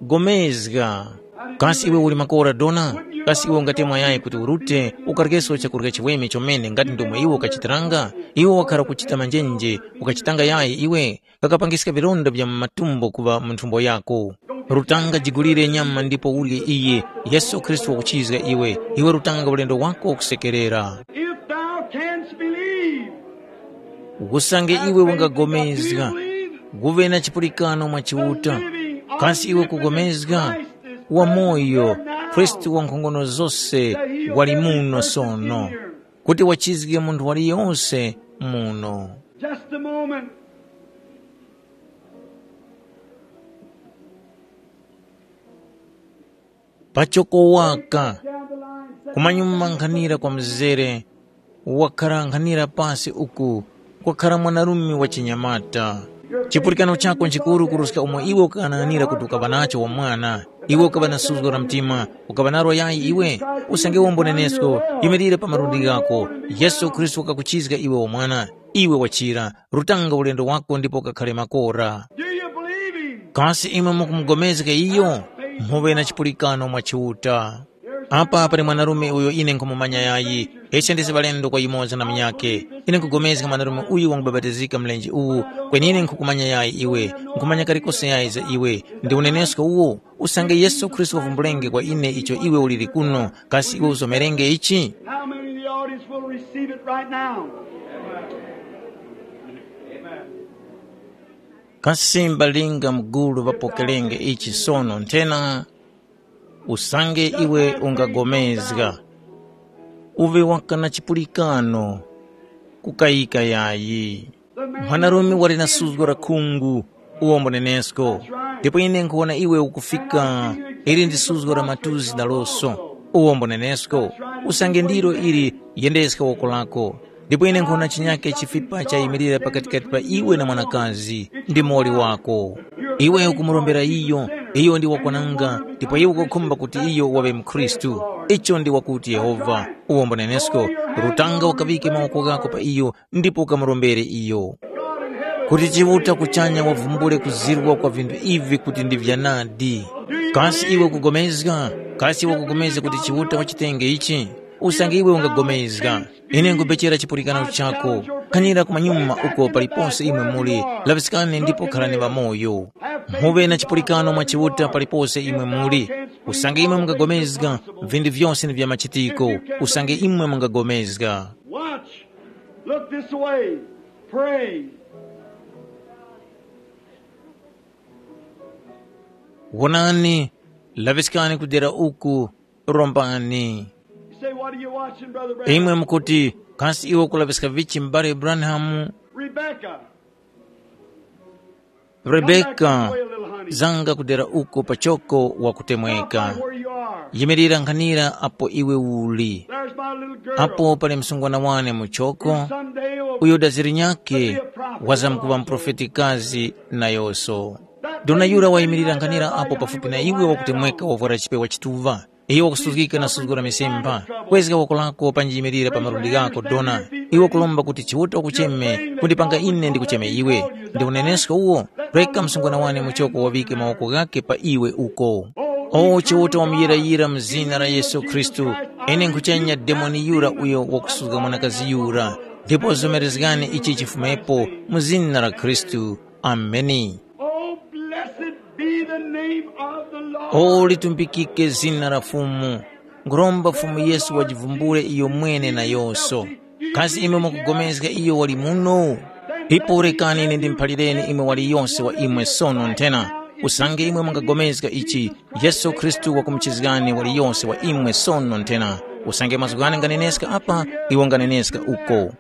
Gomezga. Kasi iwe uli makora dona? Kasi iwe ungatemwa yayi kuti urute, ukaryeso chakurya chiweme chomene ngati ndomwe iwe ukachitiranga? Iwe wakhara kuchita manjenje, ukachitanga yayi iwe? Kakapangiska vilonda vya mu matumbo kuŵa mu nthumbo yako. Rutanga jigulire nyama ndipo urye iye. Yesu Khristu wakuchizga iwe. Iwe rutanga ulendo wako kusekerera. If thou canst believe, usange iwe wangagomezga, guve na chipulikano mwa Chiuta. Kasi iwe kugomezga? Wamoyo, Khristu wankhongono zose wali muno sono, kuti wachizge munthu waliyonse muno. Just a moment. Pachoko waka, kumanyuma nkhanira kwa mzere, wakhara nkhanira pasi uku, kwakhara mwanarume wa chinyamata. Chipulikano chako nchikuru kuruska umo iwe ukaghanaghanira kuti ukaŵa nacho wamwana. Iwe ukaŵa na suzgo la mtima, ukaŵa nalo yayi iwe? Usange wombonenesko, yimirira pa malundi ghako. Yesu Khristu wakakuchizga iwe wamwana. Iwe wachira, rutanga ulendo wako ndipo ukakhare makora. Do you believe him? Kasi imwe mukumugomezga iyo? Mhuŵe na chipulikano mwa Chiuta. Apa pali mwanarume uyo ine nkhumumanya yayi, ise ndisi ŵalendo kwa yumoza na munyakhe. Ine nkhugomezga mwanarume uyu wangubapatizika mlenje uwu, kweni ine nkhukumanya yayi iwe, nkhumanya kalikose yayi za iwe. Ndi unenesko uwo, usange Yesu Khristu wavumbulenge kwa ine icho iwe uliri kuno, kasi iwe uzomerenge ichi? How many in the audience will receive it right now? Kasi mbalinga mugulu ŵapokerenge ichi sono nthena? Usange iwe ungagomezga, uŵe waka na chipulikano, kukayika yayi. Mwanarume wali na suzgo la khungu, uwo mbunenesko. Ndipo ine nkhuwona iwe ukufika, ili ndi suzgo la matuzi naloso, uwo mbunenesko. Usange ndilo ili, yendeska woko lako. Ndipo ine nkhona chinyake chifipa chayimilira pakatikati pa iwe na mwanakazi, ndi muwoli wako. Iwe ukumurombera iyo, iyo ndi wakwananga, ndipo iwe ukukhumba kuti iyo waŵe mukhristu. Icho ndi wakuti Yehova, uwombo nenesko, rutanga ukaŵike mawoko ghako pa iyo, ndipo ukamurombere iyo. Kuti Chiuta kuchanya wavumbule kuzirwa kwa vinthu ivi kuti ndi vyanadi. Kasi iwe ukugomezga? Kasi iwe ukugomezga kuti Chiuta wachitenge ichi? Usange iwe ungagomezga, ine nkupechera chipulikano chako. Khanira kumanyuma uko paliponse imwe muli, laŵiskani ndipo kharani ŵamoyo. Muŵe na chipulikano mwa Chiuta paliponse imwe muli. Usange imwe mungagomezga, vinthu vyose ni vya machitiko. Usange imwe mungagomezga. Watch. Look this way. Pray. Wonani, laŵiskani ku dera uku, rombani. You say, "What are you watching, Brother Branham?" Imwe mukuti, "Kasi iwe ukulaŵiska vichi m'bale Branham?" Rebecca. Come back this Rebeka, way a little, honey. Zanga ku dera uko pachoko. Wakutemweka. Stop right where you are. Yimirira nkhanira apo iwe uli. There's my little girl. Apo pali msungwana wane muchoko. Someday will uyo daziri nyake be a prophet. Wazamkuŵa mprofetikazi nayonso. Dona yura wayimirira nkhanira apo pafupi na iwe wakutemweka wavwara chipewa chituva. Iwe wakusuzgika na suzgo la misemba. Kwezga woko lako panji yimirira pa malundi ghako dona. Iwe wakulomba kuti Chiuta wakucheme kundipanga ine ndikucheme iwe. Ndi unenesko uwo. Reka msungwana wane muchoko waŵike mawoko ghake pa iwe uko. O Chiuta wamuyirayira mu zina la Yesu Khristu, ine nkhuchenya demoni yura uyo wakusuzga mwanakazi yura. Ndipo zomerezgani ichi chifumepo mu zina la Khristu. Ameni. Oh, blessed be the name of the Lord. O litumbikike zina la Fumu. Nguromba Fumu Yesu wajivumbule iyo mwene na yoso. Kasi imwe mukugomezga iyo wali muno? Ipo rekani ine ndimphalireni imwe waliyonse wa imwe sono nthena. Usange imwe mungagomezga ichi, Yesu Khristu wakumuchizgani waliyonse wa imwe sono nthena. Usange mazgu ghane nganeneska apa, iwo nganeneska uko.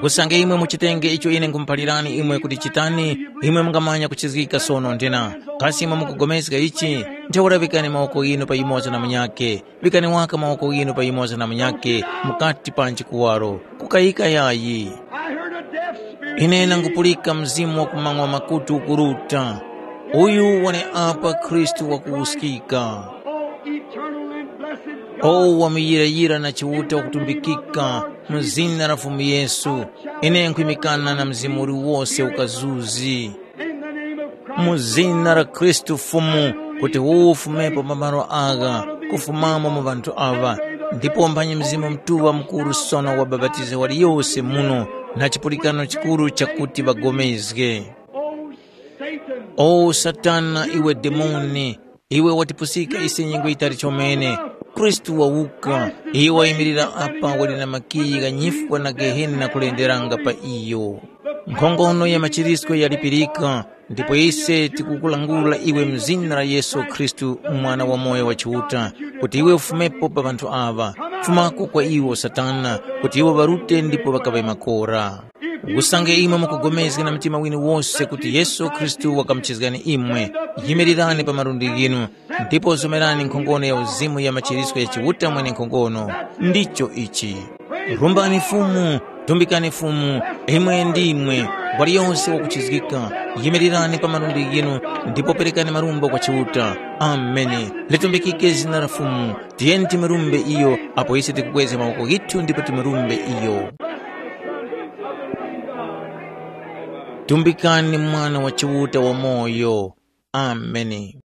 Usange imwe muchitenge icho ine nkhumuphalirani imwe kuti chitani, imwe mungamanya kuchizgika sono nthena. Kasi imwe mukugomezga ichi? Ntheura vikani mawoko ghinu pa yumoza na munyakhe. Vikani waka mawoko ghinu pa yumoza na munyakhe mukati pa nchikuwaro. Kukayika yayi. I heard a deaf spirit. Ine nangupulika mzimu wa kumang'wa makutu ukuruta. Uyu wali apa Khristu wakuwuskika. Oh, eternal and blessed God. O wamuyirayira na Chiuta wakutumbikika mu zina la Fumu Yesu, ine nkhwimikana na mzimu uliwose ukazuzi. In the name of Christ, mu zina la Khristu Fumu, kuti uwo ufumepo pa malo agha, kufumamo mu ŵanthu aŵa, ndipo mphanyi Mzimu Mutuŵa mukuru sono wabapatize waliyose muno na chipulikano chikuru chakuti ŵagomezge. O Satan, iwe demoni, iwe watipusika ise nyengo yitali chomene. Khristu wawuka, iye wayimirira apa wali na makiyi gha nyifwa na Gehena kulenderanga pa iyo. Nkhongono ya machirisko yalipirika, ndipo ise tikukulangula iwe mu zina la Yesu Khristu, Mwana wamoyo wa Chiuta, kuti iwe ufumepo pa ŵanthu aŵa. Fumako kwa iwo, Satana, kuti iwo ŵarute ndipo ŵakaŵe makora. Usange imwe mukugomezga na mtima winu wose kuti Yesu Khristu wakamuchizgani imwe, yimirirani pa malundi ghinu, ndipo zomerani nkhongono ya uzimu ya machirisko ya Chiuta Mwenenkhongono. Ndicho ichi. Rumbani Fumu, tumbikani Fumu, imwe ndimwe, waliyonse wakuchizgika, yimirirani pa malundi ghinu, ndipo perekani marumbo kwa Chiuta. Ameni. Litumbikike zina la Fumu. Tiyeni timurumbe iyo, apo ise tikukwezga mawoko ghithu ndipo timurumbe iyo. Tumbikani Mwana wa Chiuta wamoyo. Ameni.